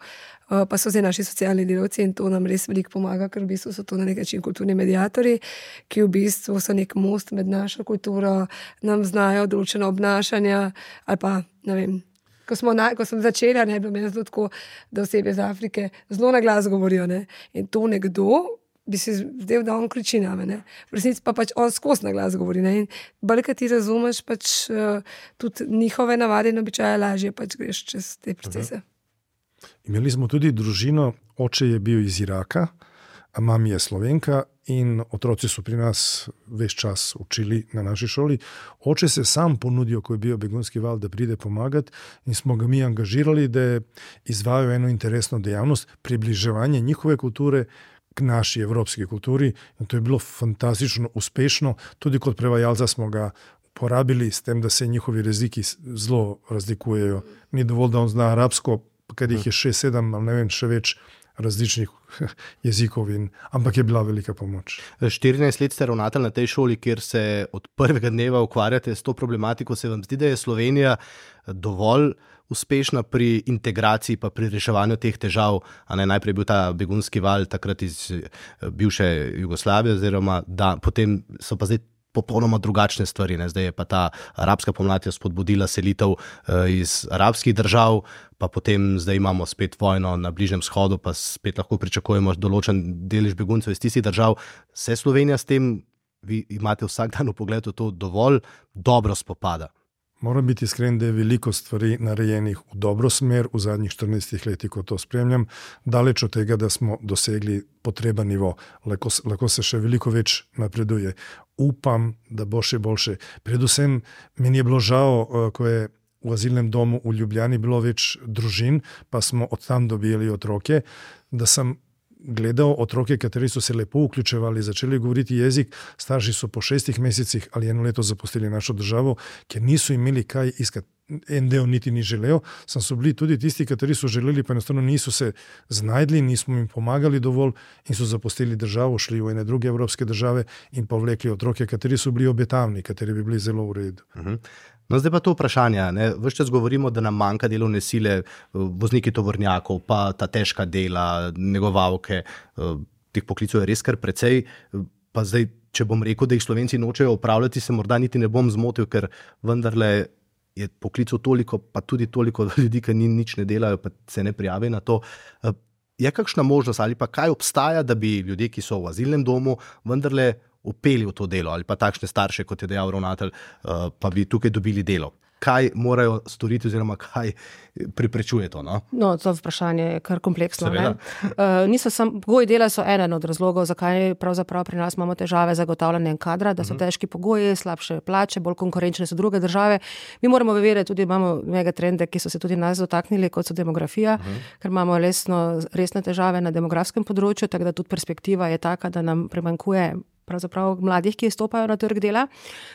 pa so zdaj naši socialni delavci in to nam res veliko pomaga, ker v bistvu so to na nek način kulturni mediatorji, ki v bistvu so nek most med našo kulturo, nam znajo določena obnašanja ali pa, ne vem, ko, smo na, ko sem začela, ne, bilo meni zelo tako, da osebe iz Afrike zelo na glas govorijo, ne, in to nekdo bi se zdaj, da on kriči name, ne. V resnici pa pač on skozi na glas govori, ne, in bolj, kad ti razumeš pač uh, tudi njihove navade in običaje, lažje pač greš čez te procese. Uh-huh. Imeli smo tudi družino, oče je bil iz Iraka, a mami je Slovenka in otroci so pri nas ves čas učili na naši šoli. Oče se sam ponudijo, ko je bil begunski val, da pride pomagati in smo ga mi angažirali, da izvajajo eno interesno dejavnost, približevanje njihove kulture k naši evropski kulturi in to je bilo fantastično uspešno. Tudi kot prevajalca smo ga porabili s tem, da se njihovi jeziki zelo razlikujejo. Ni dovolj, da on zna arabsko, ker jih je šest, sedem, ali ne vem, še več različnih jezikov, in, ampak je bila velika pomoč. štirinajst let ste ravnatelj na tej šoli, kjer se od prvega dneva ukvarjate s to problematiko. Se vam zdi, da je Slovenija dovolj uspešna pri integraciji pa pri reševanju teh težav? A ne, najprej bil ta begunski val takrat iz bivše Jugoslavije, oziroma da potem so pa zdaj popolnoma drugačne stvari. Ne? Zdaj je pa ta arabska pomlad spodbudila selitev iz arabskih držav, pa potem zdaj imamo spet vojno na Bližnjem vzhodu, pa spet lahko pričakujemo določen delež beguncev iz tistih držav. Se Slovenija s tem, vi imate vsak dan v pogledu, to dovolj dobro spopada? Moram biti iskren, da je veliko stvari narejenih v dobro smer v zadnjih štirinajstih letih, ko to spremljam, daleč od tega, da smo dosegli potreben nivo. Lahko, lahko se še veliko več napreduje. Upam, da bo še boljše. Predvsem meni je bilo žal, ko je v azilnem domu v Ljubljani bilo več družin, pa smo od tam dobili otroke, da sem gledal otroke, kateri so se lepo vključevali, začeli govoriti jezik, starši so po šestih mesecih ali eno leto zapustili našo državo, ker niso imeli kaj iskati. En del niti ni želel, sem so bili tudi tisti, kateri so želeli, pa enostavno niso se znajdli, nismo jim pomagali dovolj in so zapustili državo, šli v ene druge evropske države in povlekli otroke, kateri so bili obetavni, kateri bi bili zelo v redu. Uh-huh. No, zdaj pa to vprašanje. Ves čas govorimo, da nam manjka delovne sile, vozniki tovornjakov, pa ta težka dela, negovalke, teh poklicov je res kar precej. Pa zdaj, če bom rekel, da jih Slovenci nočejo upravljati, se morda niti ne bom zmotil, ker vendarle je poklicov toliko, pa tudi toliko ljudi, ki nič ne delajo, pa se ne prijavijo na to. Je kakšna možnost ali pa kaj obstaja, da bi ljudje, ki so v azilnem domu, vendarle upeli v to delo, ali pa takšne starše, kot je dejal ravnatelj, pa bi tukaj dobili delo? Kaj morajo storiti oziroma kaj preprečuje to? No, no to vprašanje je kar kompleksno. Uh, niso sam, pogoji dela so eden od razlogov, zakaj pravzaprav pri nas imamo težave z zagotavljanjem kadra, da so uh-huh. težki pogoji, slabše plače, bolj konkurenčne so druge države. Mi moramo vedeti, tudi imamo megatrende, ki so se tudi nas dotaknili, kot so demografija, uh-huh. ker imamo resno, resne težave na demografskem področju, tako da tudi perspektiva je taka, da nam primanjkuje pravzaprav mladih, ki stopajo na trg dela.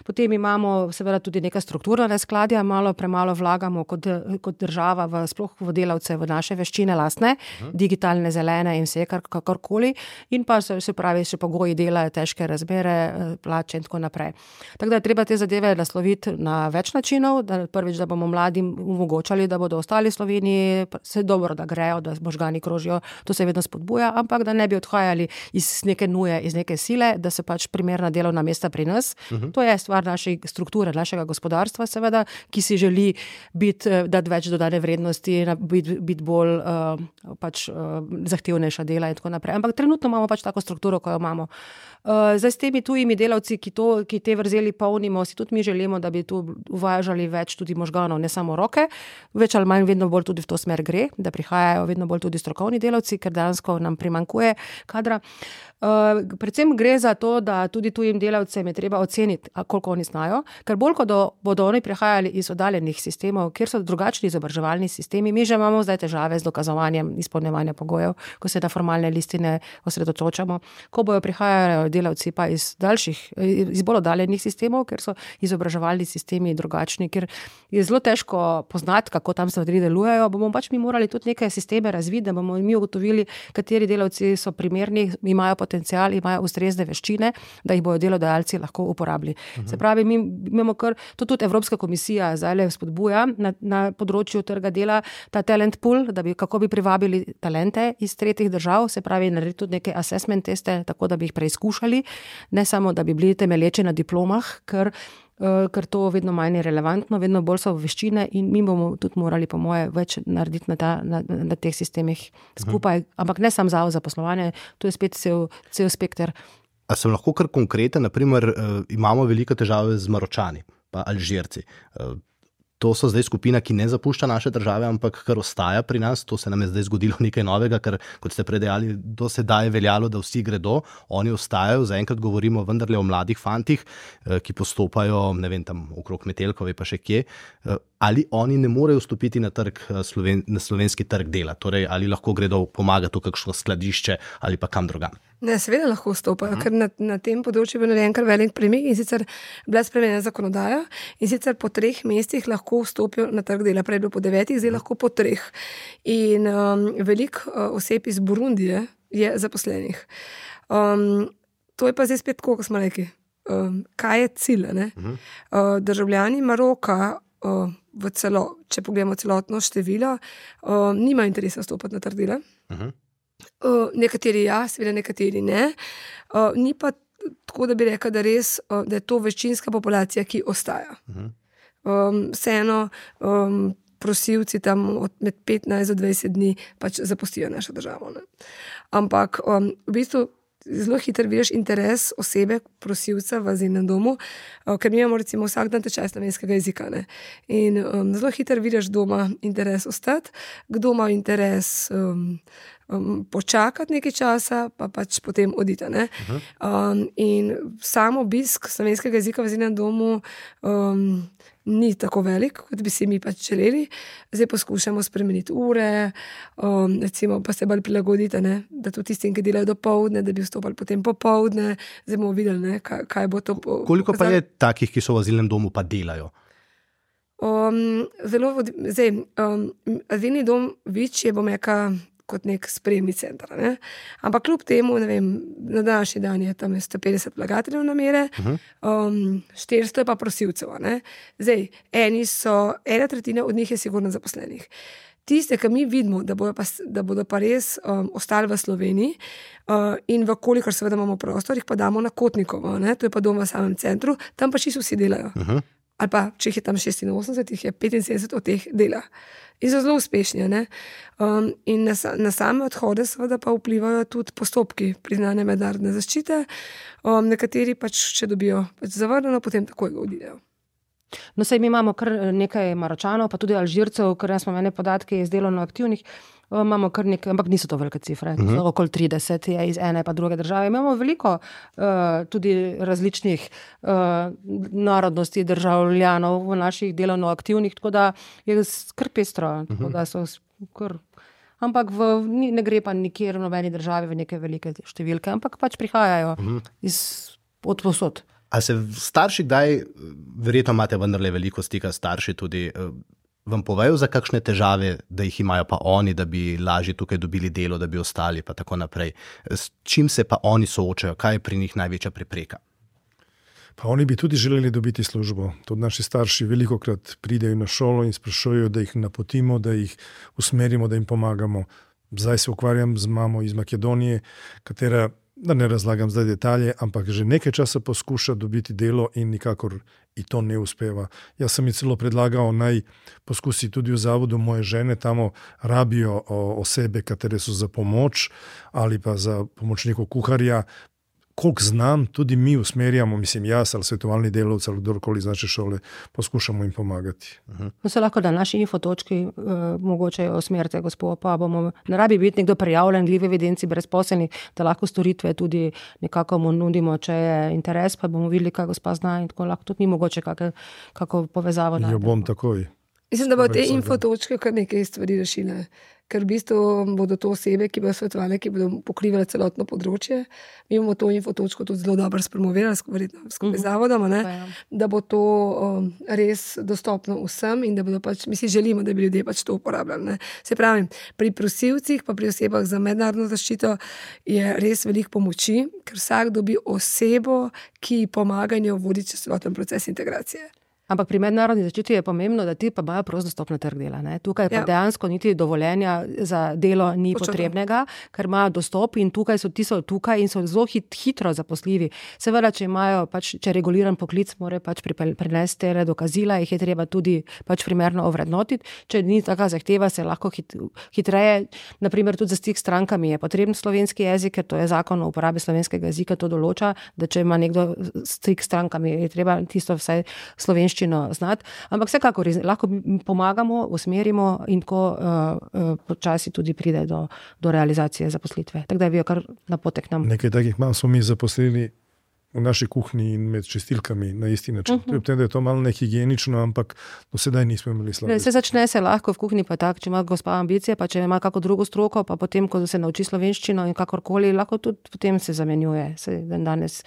Potem imamo seveda tudi neka strukturna neskladja, malo premalo vlagamo kot, kot država v, sploh v delavce, v naše veščine lastne, uh-huh. digitalne, zelene in vse kar, kakorkoli. In pa se, se pravi, še pogoji dela, težke razmere, plače in tako naprej. Tako da je treba te zadeve nasloviti na več načinov, da prvič, da bomo mladim omogočali, da bodo ostali v Sloveniji, se dobro, da grejo, da možgani krožijo, to se vedno spodbuja, ampak da ne bi odhajali iz neke nuje, iz neke sile, da se pač primerna delovna mesta pri nas. Uh-huh. To je stvar naše strukture, našega gospodarstva seveda, ki si želi biti, dati več dodane vrednosti, biti, biti bolj uh, pač uh, zahtevnejša dela in tako naprej. Ampak trenutno imamo pač tako strukturo, ko jo imamo. Uh, zdaj s temi tujimi delavci, ki, to, ki te vrzeli polnimo, si tudi mi želimo, da bi tu uvažali več tudi možganov, ne samo roke, več ali manj vedno bolj tudi v to smer gre, da prihajajo vedno bolj tudi strokovni delavci, ker dejansko nam primanjkuje kadra. Uh, predvsem gre za to, da tudi tujim delavcem je treba oceniti, koliko oni znajo, ker bolj, ko do, bodo oni prihajali iz oddaljenih sistemov, kjer so drugačni izobraževalni sistemi, mi že imamo zdaj težave z dokazovanjem izpolnjevanja pogojev, ko se na formalne listine osredotočamo, ko bojo prihajali delavci pa iz daljših, iz bolj oddaljenih sistemov, ker so izobraževalni sistemi drugačni, ker je zelo težko poznati, kako tam stvari delujejo, bomo pač mi morali tudi neke sisteme razviti, da bomo mi ugotovili, kateri delavci so primerni, imajo potencial, imajo ustrezne veščine, da jih bojo delodajalci lahko uporabili. Uh-huh. Se pravi, mi imamo kar, to tudi Evropska komisija zdaj spodbuja na, na področju trga dela, ta talent pool, da bi, kako bi privabili talente iz tretjih držav, se pravi, narediti tudi neke assessment teste, tako da bi jih preizkušali, ne samo, da bi bili temelječi na diplomah, ker, uh, ker to vedno manj je relevantno, vedno bolj so veščine in mi bomo tudi morali, po moje, več narediti na, ta, na, na teh sistemih skupaj, uh-huh. ampak ne samo zavod za poslovanje, to je spet cel, cel spekter. A sem lahko kar konkreten, naprimer, uh, imamo velike težave z Maročani, pa Alžirci. Uh, To so zdaj skupina, ki ne zapušča naše države, ampak kar ostaja pri nas. To se nam je zdaj zgodilo nekaj novega, ker, kot ste predejali, do sedaj je veljalo, da vsi gredo, oni ostajajo. Zaenkrat govorimo vendarle o mladih fantih, ki postopajo, ne vem, tam okrog Metelkove pa še kje. ali oni ne morejo vstopiti na, trg, sloven, na slovenski trg dela, torej ali lahko gredo pomagati v kakšno skladišče ali pa kam drugam. Ne, seveda lahko vstopajo, uh -huh. ker na, na tem področju je bil narejen kar velik premik in sicer bila spremenjena zakonodaja in sicer po treh mestih lahko vstopijo na trg dela, prej bilo po devetih, zdaj lahko po treh. In um, veliko uh, oseb iz Burundije je zaposlenih. Um, to je pa zdaj spet tako, kot smo rekli. Um, kaj je cilj? Uh -huh. uh, državljani Maroka, uh, v celo, če pogledamo celotno število, uh, nima interesa vstopati na trg dela. Uh -huh. Uh, nekateri ja, seveda nekateri ne. Uh, ni pa tako, da bi rekla, da, res, uh, da je to večinska populacija, ki ostaja. Uh -huh. um, vseeno um, prosilci tam od med petnajst do dvajset dni pač zapustijo našo državo. Ne? Ampak um, v bistvu zelo hitro vidiš interes osebe, prosilca v azilnem domu, uh, ker mi imamo recimo vsak dan tečaj slovenskega jezika. Ne? In um, zelo hitro vidiš doma interes ostati, kdo ima interes um, um, počakati nekaj časa, pa pač potem oditi. Uh-huh. Um, in samo obisk slovenskega jezika v azilnem domu um, ni tako velik, kot bi si mi pač želeli. Zdaj poskušamo spremeniti ure, um, recimo pa se bolj prilagoditi, ne? Da tudi tistim, ki delajo do povdne, da bi vstopali potem popovdne. Zdaj bomo videli, ne? Kaj, kaj bo to. Koliko pa je takih, ki so v azilnem domu pa delajo? Um, zelo, zdaj, um, azilni dom Vič je, bom rekla, kot nek sprejemni center. Ne? Ampak kljub temu, ne vem, na današnji dan je tam sto petdeset vlagateljev namere, uh-huh. um, štiristo je pa prosilcev. Ne? Zdaj, eni so, ena tretjina od njih je sigurno zaposlenih. Tiste, ki mi vidimo, da bodo pa, da bodo pa res um, ostali v Sloveniji uh, in v kolikor seveda imamo prostor, jih pa damo na Kotnikovo, ne? To je pa dom v samem centru, tam pa čisto vsi delajo. Uh-huh. Ali pa, če jih je tam šestinosemdeset, jih je petinsedemdeset od teh dela. In so zelo uspešni. Ne? Um, in na, na same odhode seveda pa vplivajo tudi postopki priznane mednarodne zaščite. Um, nekateri pač, če dobijo pač zavrnjeno, potem takoj ga odidejo. No, sej mi imamo kar nekaj Maročanov, pa tudi Alžircev, ker smo imeli podatke iz delovno aktivnih, imamo kar nekaj, ampak niso to velike cifre, uh-huh. okoli trideset je iz ene pa druge države. Imamo veliko uh, tudi različnih uh, narodnosti državljanov v naših delovno aktivnih, tako da je kar pestro, uh-huh. tako da so kar... Ampak v, ne gre pa nikjer v nobeni državi v neke velike številke, ampak pač prihajajo uh-huh. iz, od posod. A se starši kdaj, verjetno imate vendarle veliko stika starši tudi, vam povejo za kakšne težave, da jih imajo pa oni, da bi lažje tukaj dobili delo, da bi ostali pa tako naprej. S čim se pa oni soočajo? Kaj je pri njih največja prepreka? Pa oni bi tudi želeli dobiti službo. Tudi naši starši velikokrat pridejo na šolo in sprašujejo, da jih napotimo, da jih usmerimo, da jim pomagamo. Zdaj se ukvarjam z mamo iz Makedonije, katera, da ne razlagam zdaj detalje, ampak že nekaj časa poskuša dobiti delo in nikakor i to ne uspeva. Jaz sem ji celo predlagal, naj poskusi tudi v zavodu moje žene, tamo rabijo osebe, katere so za pomoč ali pa za pomočnikov kuharja. Koliko znam, tudi mi usmerjamo, mislim jaz ali svetovalni delavci ali kdorkoli iz naše šole, poskušamo jim pomagati. Uh-huh. No se lahko da naši infotočki uh, mogoče usmerite, gospod, pa bomo, ne rabi biti nekdo prijavljen v evidenci brezposelnih, da lahko storitve tudi nekako mu nudimo, če je interes, pa bomo videli, kaj gospa zna in tako lahko tudi ni mogoče kako, kako povezavo. Jo bom takoj. Mislim, da bo te infotočke kar nekaj stvari rešile. Ker v bistvu bodo to osebe, ki bodo svetovali, ki bodo pokrivali celotno področje. Mi bomo to infotočko tudi zelo dobro spromovirali skupaj uh-huh. z zavodom, ne? Ja. Da bo to um, res dostopno vsem in da bodo pač, mi si želimo, da bi ljudje pač to uporabljali. Ne? Se pravi, pri prosilcih pa pri osebah za mednarodno zaščito je res veliko pomoči, ker vsak dobi osebo, ki pomaga in jo vodi čez celoten proces integracije. Ampak pri mednarodni zaščiti je pomembno, da ti pa imajo prost dostop na trg dela. Ne? Tukaj pa ja. dejansko niti dovoljenja za delo ni Počakaj. potrebnega, ker imajo dostop in tukaj so ti so tukaj in so zelo hit, hitro zaposljivi. Seveda, če imajo pač, če reguliran poklic, morajo pač prinesti tere dokazila, jih je treba tudi pač primerno ovrednotiti. Če ni taka zahteva, se lahko hit, hitreje, naprimer tudi za stik s strankami je potreben slovenski jezik, ker to je zakon o uporabi slovenskega jezika, to določa, da če ima nekdo stik s strankami, je treba tisto vsaj slovenščino znati, ampak vsekakor lahko pomagamo, usmerimo in tako uh, uh, počasi tudi pride do, do realizacije zaposlitve. Tako da je bil kar napotek nam. Nekaj takih mam smo mi zaposlili v naši kuhinji in med čistilkami na isti način. Uh-huh. Tem, da je to malo nehigienično, ampak do sedaj nismo imeli slabih. Se začne se lahko v kuhinji, pa tak, če ima gospa ambicije, pa če ima kako drugo stroko, pa potem, ko se nauči slovenščino in kakorkoli, lahko tudi potem se zamenjuje. Se, danes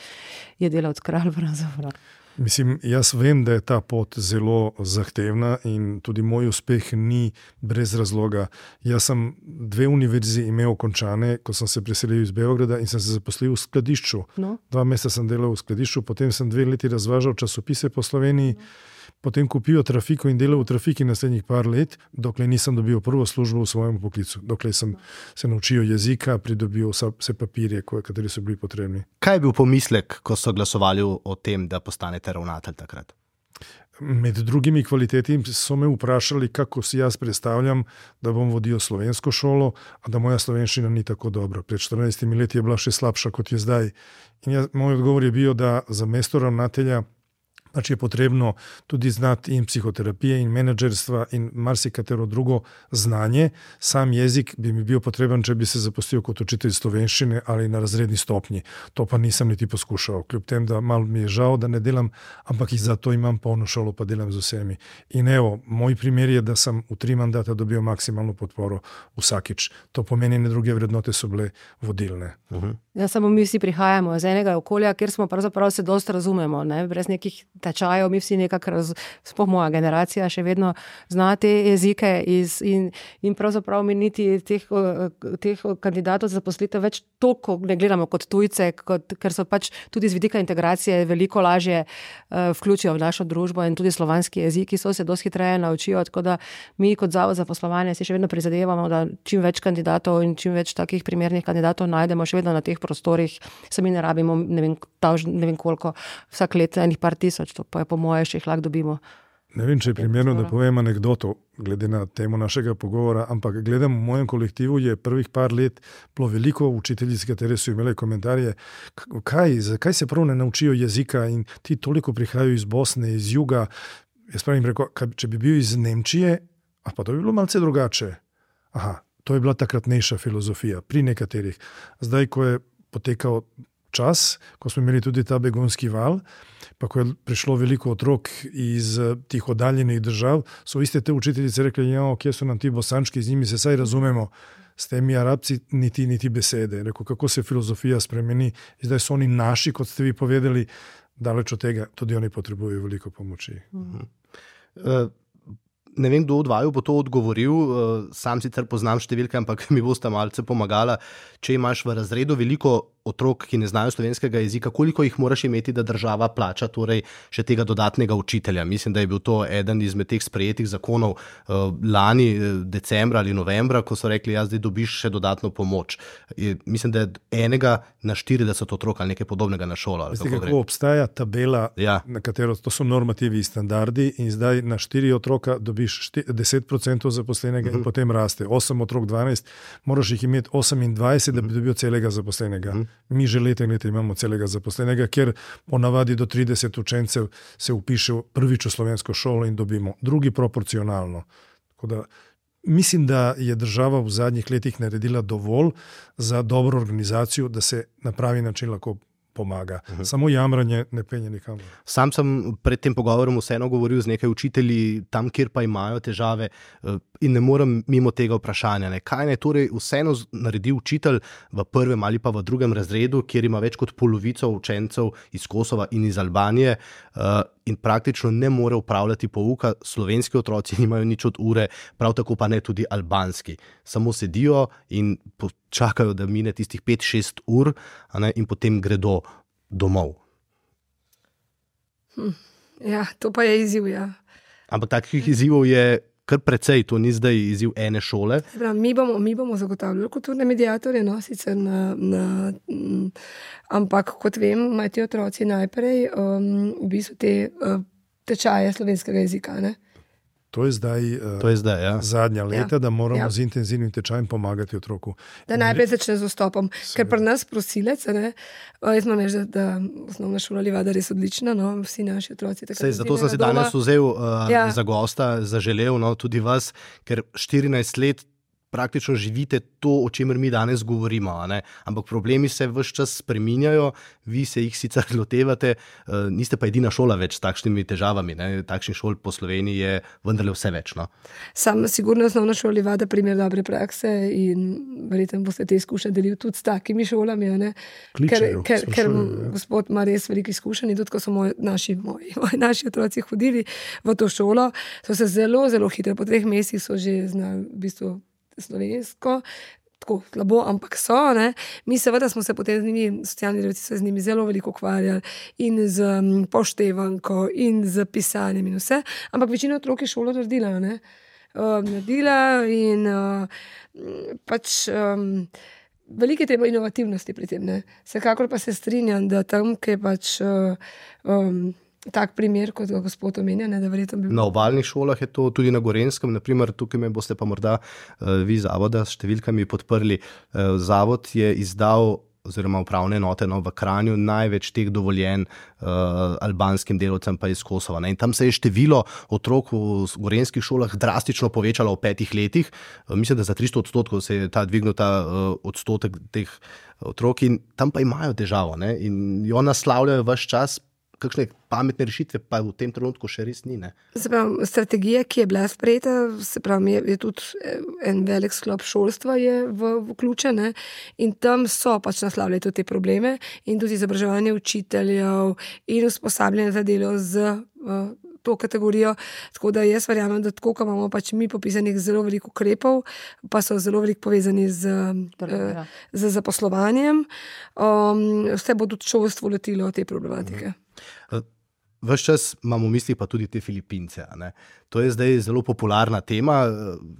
je delavec kralj pravzaprav. Mislim, jaz vem, da je ta pot zelo zahtevna in tudi moj uspeh ni brez razloga. Jaz sem dve univerzi imel končane, ko sem se preselil iz Beograda in sem se zaposlil v skladišču. No. Dva meseca sem delal v skladišču, potem sem dve leti razvažal časopise po Sloveniji, no. Potem kupil trafiko in delal v trafiki naslednjih par let, dokler nisem dobil prvo službo v svojem poklicu, dokler sem se naučil jezika, pridobil vse papirje, kateri so bili potrebni. Kaj je bil pomislek, ko so glasovali o tem, da postanete ravnatelj takrat? Med drugimi kvaliteti so me vprašali, kako si jaz predstavljam, da bom vodil slovensko šolo, a da moja slovenščina ni tako dobra. Pred štirinajstimi leti je bila še slabša, kot je zdaj. In jaz, moj odgovor je bil, da za mesto ravnatelja pač je potrebno tudi znati in psihoterapije in menedžerstva in marsikatero drugo znanje. Sam jezik bi mi bil potreben, če bi se zaposlil kot učitelj slovenščine ali na razredni stopnji. To pa nisem niti poskušal. Kljub tem, da malo mi je žal, da ne delam, ampak in zato imam polno šolo, pa delam z vsemi. In evo, moj primer je, da sem v tri mandata dobil maksimalno podporo vsakič. To pomeni, ne druge vrednote so bile vodilne. Uh-huh. Ja, samo mi vsi prihajamo iz enega okolja, kjer smo pravzaprav se dosti razumemo, ne? Brez nekih tečajev, mi vsi nekako, raz, sploh moja generacija še vedno zna te jezike iz, in, in pravzaprav mi niti teh, teh kandidatov za zaposlitev več toliko ne gledamo kot tujce, kot, ker so pač tudi z vidika integracije veliko lažje uh, vključijo v našo družbo in tudi slovanski jeziki so se dosti hitreje naučijo, tako da mi kot Zavod za poslovanje si še vedno prizadevamo, da čim več kandidatov in čim več takih primernih kandidatov najdemo še vedno na teh prostorih, sami ne rabimo, ne vem, taž, ne vem koliko, vsak let enih par tisoč, to pa je po moje še jih lahko dobimo. Ne vem, če je primerno, da povem anekdoto, glede na temo našega pogovora, ampak gledam v mojem kolektivu je prvih par let bilo veliko učiteljic, katere so imele komentarje, kaj, zakaj se prav ne naučijo jezika in ti toliko prihajajo iz Bosne, iz juga. Jaz pravim rekel, če bi bil iz Nemčije, a pa to bi bilo malce drugače. Aha, to je bila takratnejša filozofija pri nekaterih. Zdaj, ko je potekal čas, ko smo imeli tudi ta begunski val, pa ko je prišlo veliko otrok iz tih oddaljenih držav, so iste te učiteljice rekli, ja, kje so nam ti bosančki, z njimi se saj razumemo, s temi Arabci niti, niti besede. Rekel, kako se filozofija spremeni, zdaj so oni naši, kot ste vi povedali, daleč od tega, tudi oni potrebujejo veliko pomoči. Mhm. Uh, Ne vem, kdo od vaju bo to odgovoril, sam sicer poznam številke, ampak mi boste malce pomagala. Če imaš v razredu veliko otrok, ki ne znajo slovenskega jezika, koliko jih moraš imeti, da država plača torej še tega dodatnega učitelja? Mislim, da je bil to eden izmed teh sprejetih zakonov lani, decembra ali novembra, ko so rekli, ja, zdaj dobiš še dodatno pomoč. Mislim, da je enega na štirideset otrok ali nekaj podobnega na šolo. Veste, kako, kako obstaja tabela, ja. Na katero to so normativi in standardi in zdaj na štiri otroka dobiš deset procentov zaposlenega uh-huh. in potem raste. osem otrok, dvanajst, moraš jih imeti osemindvajset, uh-huh. da bi dobil celega zaposlenega. Uh-huh. Mi že leta in leta imamo celega zaposlenega, ker ponavadi do trideset učencev se upiše prvič v slovensko šolo in dobimo, drugi proporcionalno. Tako da mislim, da je država v zadnjih letih naredila dovolj za dobro organizacijo, da se na pravi način lahko pomaga. Uh-huh. Samo jamranje ne penje nikamor. Sam sem pred tem pogovorom vseeno govoril z nekaj učitelji tam, kjer pa imajo težave in ne morem mimo tega vprašanja. Ne. Kaj naj torej vseeno naredi učitelj v prvem ali pa v drugem razredu, kjer ima več kot polovico učencev iz Kosova in iz Albanije in praktično ne more upravljati pouka, slovenski otroci nimajo nič od ure, prav tako pa ne tudi albanski. Samo sedijo in čakajo, da mine tistih pet šest ur, a ne, in potem gredo domov. Hm. Ja, to pa je izziv, ja. Ampak takih izzivov je kar precej, to ni zdaj izziv ene šole. Prav, mi, bomo, mi bomo zagotavljali kulturne mediatorje, no, sicer na, na, m, ampak kot vem, imajo ti otroci najprej um, v bistvu te uh, tečaje slovenskega jezika, ne? To je zdaj, uh, to je zdaj ja. zadnja leta, ja. da moramo ja. z intenzivnim tečajem pomagati otroku. Da najprej začne z vstopom. Ker pri nas prosilec, ne, jaz imam reči, da, da osnovna šola Livada res odlična, no, vsi naši otroci. Sej, zato sem se danes vzel uh, ja. za gosta, zaželel, no, tudi vas, ker štirinajst let praktično živite to, o čemer mi danes govorimo, a ne? Ampak problemi se ves čas spreminjajo, vi se jih sicer lotevate, niste pa edina šola več s takšnimi težavami, ne? Takšnih šol po Sloveniji je vendarle vse več. No? Sam sigurno osnovna šola vada primer dobre prakse in verjetno boste te izkušnje delili tudi s takimi šolami, ne? Kličejo, ker, ker, ker sprašujejo, ja. gospod ima res veliko izkušenj in tudi, ko so moji, naši, moji, moji naši otroci hodili v to šolo, so se zelo, zelo hitro, po treh mesecih so že znali v bistvu slovensko, tako slabo, ampak so, ne. Mi seveda smo se potem z njimi, socialni delavci so z njimi zelo veliko ukvarjali in z um, poštevanko in z pisanjem in vse, ampak večina otrok je šolo naredila, ne. Uh, naredila in uh, pač um, veliko je treba inovativnosti pri tem, ne. Vsekakor pa se strinjam, da tam, ki je pač uh, um, tak primer, kot ga gospod omenja, ne, da verjetno bi... Na obalnih šolah je to tudi na Gorenskem, naprimer tukaj me boste pa morda uh, vi zavoda s številkami podprli. Uh, zavod je izdal oziroma upravne enote no, v Kranju največ teh dovoljen uh, albanskim delavcem pa iz Kosova. Ne? In tam se je število otrok v gorenskih šolah drastično povečalo v petih letih. Uh, mislim, da za tristo odstotkov se je ta dvignil ta uh, odstotek teh otrok in tam pa imajo težavo. Ne? In jo naslavljajo ves čas, kakšne pametne rešitve pa v tem trenutku še res ni. Ne? Se pravi, strategija, ki je bila sprejeta, se pravi, je, je tudi en velik sklop šolstva je v, vključen, ne? In tam so pač naslavljali tudi te probleme in tudi izobraževanje učiteljev in usposabljanje za delo z uh, to kategorijo, tako da jaz verjamem, da tako, ko imamo pač mi popisanih zelo veliko ukrepov, pa so zelo veliko povezani z, uh, z zaposlovanjem, um, vse bo tudi šolstvo letilo te problematike. Ves čas imamo v mislih pa tudi te Filipince. Ne? To je zdaj zelo popularna tema,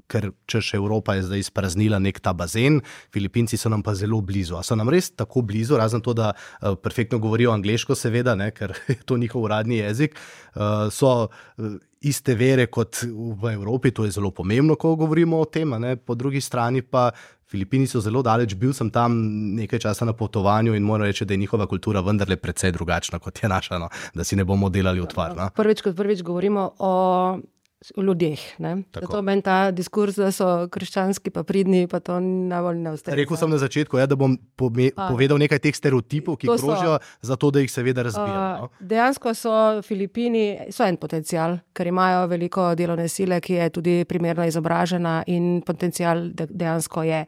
ker češ Evropa je zdaj izpraznila nek ta bazen, Filipinci so nam pa zelo blizu. A so nam res tako blizu, razen to, da uh, perfektno govorijo angleško seveda, ne? Ker je to njihov uradni jezik, uh, so uh, iste vere kot v Evropi, to je zelo pomembno, ko govorimo o tem, ne? Po drugi strani pa Filipini so zelo daleč, bil sem tam nekaj časa na potovanju in moram reči, da je njihova kultura vendarle precej drugačna, kot je naša, no? Da si ne bomo delali utvar. No? Prvič, kot prvič govorimo o o ljudeh. Zato meni ta diskurs, da so krščanski pa pridni, pa to najbolj ne ustreza. Rekel sem na začetku, ja, da bom pome, povedal nekaj teh stereotipov, ki krožijo, zato da jih seveda razbijam. No? Dejansko so Filipini, so en potencial, ker imajo veliko delovne sile, ki je tudi primerno izobražena in potencial dejansko je.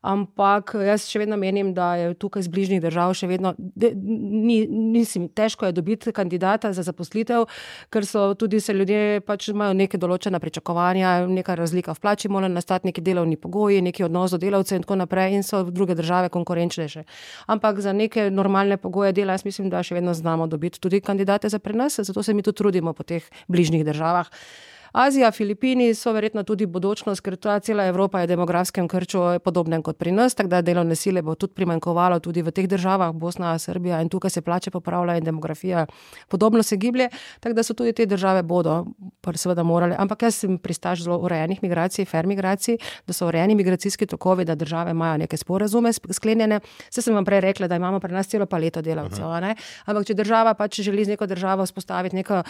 Ampak jaz še vedno menim, da je tukaj z bližnjih držav še vedno, de, ni, nisim, težko je dobiti kandidata za zaposlitev, ker so tudi se ljudje pač imajo neke določena pričakovanja, neka razlika v plači, mora nastati neki delovni pogoji, neki odnos do delavcev in tako naprej in so druge države konkurenčnejše. Ampak za neke normalne pogoje dela, jaz mislim, da še vedno znamo dobiti tudi kandidate za pri nas, zato se mi tudi trudimo po teh bližnjih državah. Azija, Filipini so verjetno tudi bodočnost, ker ta cela Evropa je v demografskem krču podobnem kot pri nas, tako da delovne sile bo tudi primanjkovalo tudi v teh državah, Bosna, Srbija in tukaj se plače popravljajo in demografija podobno se giblje, tako da so tudi te države bodo seveda morale, ampak jaz sem pristaš zelo urejenih migracij, fair migracij, da so urejeni migracijski tokovi, da države imajo neke sporazume sklenjene. Saj sem vam prej rekla, da imamo pri nas celo paleto delavcev, ne? Ampak če država pač želi z neko državo vzpostaviti neko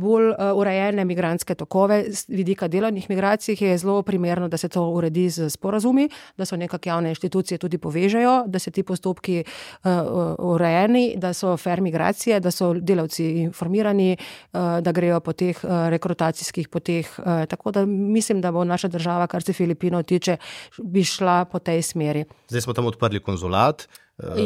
bolj urejene migrantske tokove, z vidika delovnih migracij, je zelo primerno, da se to uredi z sporazumi, da so nekak javne inštitucije tudi povežejo, da se ti postopki uh, urejeni, da so fair migracije, da so delavci informirani, uh, da grejo po teh uh, rekrutacijskih poteh. Uh, tako da mislim, da bo naša država, kar se Filipinov tiče, bi šla po tej smeri. Zdaj smo tam odprli konzulat,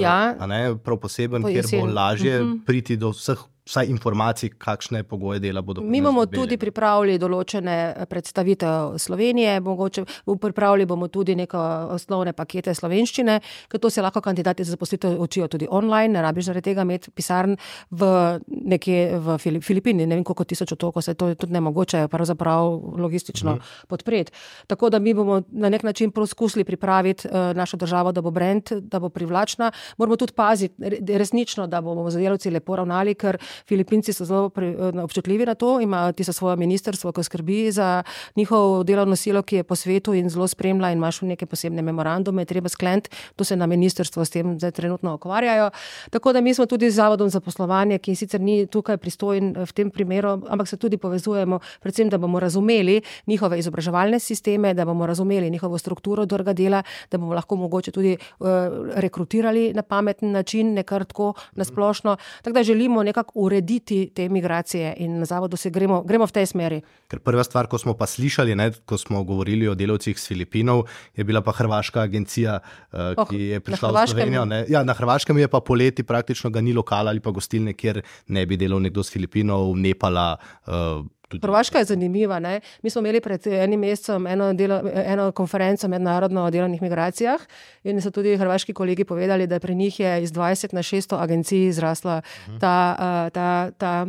ja. a ne, prav poseben, po kjer bo lažje uh-huh. priti do vseh vsaj informacij, kakšne pogoje dela bodo. Mi bomo tudi pripravili določene predstavitev Slovenije, mogoče pripravili bomo tudi neko osnovne pakete slovenščine, ker to se lahko kandidati za zaposlitev učijo tudi online, ne rabiš zaradi tega imeti pisarn v nekje v Filipini, ne vem koliko tisoč otokov, se to je tudi nemogoče pravzaprav logistično uh-huh. podpreti. Tako da mi bomo na nek način poskusili pripraviti uh, našo državo, da bo brand, da bo privlačna. Moramo tudi paziti resnično, da bomo za delavci lepo ravnali, ker Filipinci so zelo pri, občutljivi na to, imajo tisto svoje ministrstvo, ki skrbi za njihov delovno silo, ki je po svetu in zelo spremlja in imaš neke posebne memorandume, treba skleniti, to se na ministrstvo s tem zdaj trenutno ukvarjajo. Tako da mi smo tudi z Zavodom za poslovanje, ki sicer ni tukaj pristojen v tem primeru, ampak se tudi povezujemo, predvsem, da bomo razumeli njihove izobraževalne sisteme, da bomo razumeli njihovo strukturo trga dela, da bomo lahko mogoče tudi uh, rekrutirali na pameten način, ne kar tako nasplošno. Tako da želimo nekako urediti te migracije in na Zavodu se gremo, gremo v tej smeri. Ker prva stvar, ko smo pa slišali, ne, ko smo govorili o delavcih s Filipinov, je bila pa hrvaška agencija, uh, oh, ki je prišla v Slovenijo. Ne. Ja, na Hrvaškem je pa poleti praktično ga ni lokala ali pa gostilne, kjer ne bi delal nekdo s Filipinov, Nepala. Uh, Hrvaška je zanimiva. Ne? Mi smo imeli pred enim mesecem eno, delo, eno konferenco mednarodno o delovnih migracijah in so tudi hrvaški kolegi povedali, da pri njih je iz dvajset na šeststo agencij zrasla ta, uh, ta, ta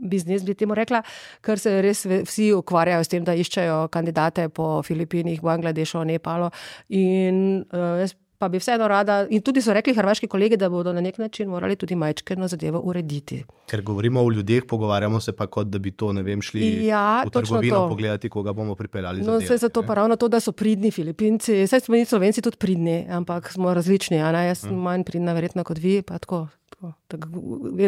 biznis, bi temu rekla, ker se res vsi ukvarjajo s tem, da iščejo kandidate po Filipinih, Bangladešu, Nepalu in uh, jaz pa bi vseeno rada, in tudi so rekli hrvaški kolegi, da bodo na nek način morali tudi majčkeno zadevo urediti. Ker govorimo o ljudeh, pogovarjamo se pa kot, da bi to, ne vem, šli ja, v trgovino pogledati, koga bomo pripeljali za no, delo. No, zato pa ravno to, da so pridni Filipinci, saj smo mi Slovenci tudi pridni, ampak smo različni, a ne, jaz sem hmm. manj pridna verjetno kot vi, pa tako.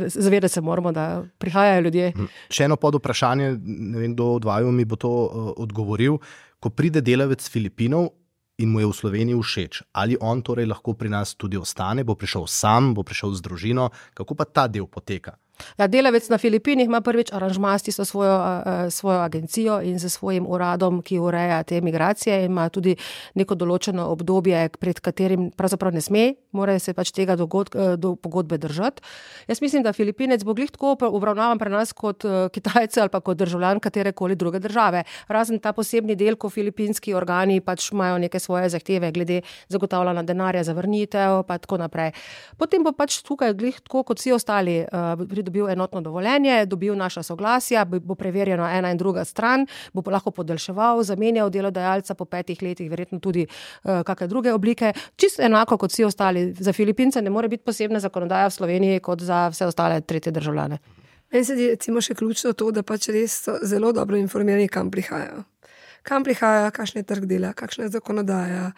Zavedati se moramo, da prihajajo ljudje. Še eno pod vprašanje, ne vem, kdo od vaju mi bo to uh, odgovoril. Ko pride delavec z Filipinov in mu je v Sloveniji všeč, ali on torej lahko pri nas tudi ostane, bo prišel sam, bo prišel z družino, kako pa ta del poteka? Ja, delavec na Filipinih ima prvič aranžma s tisto svojo, uh, svojo agencijo in s svojim uradom, ki ureja te migracije in ima tudi neko določeno obdobje, pred katerim pravzaprav ne sme, mora se pač tega dogod, uh, do pogodbe držati. Jaz mislim, da Filipinec bo glih tako obravnavan pri nas kot uh, Kitajce ali pa kot državljan katerekoli druge države. Razen ta posebni del, ko filipinski organi pač imajo neke svoje zahteve glede zagotavljanja denarja za vrnitev, pa tako naprej. Potem bo pač tukaj glih tako kot vsi ostali uh, dobil enotno dovoljenje, dobil naša soglasja, bo preverjeno ena in druga stran, bo lahko podaljševal, zamenjal delodajalca po petih letih, verjetno tudi uh, kakšne druge oblike. Čisto enako kot vsi ostali. Za Filipince ne more biti posebna zakonodaja v Sloveniji kot za vse ostale tretje državljane. Meni se je recimo še ključno to, da pač res so zelo dobro informirani, kam prihajajo. Kam prihajajo, kakšen je trg dela, kakšna je zakonodaja,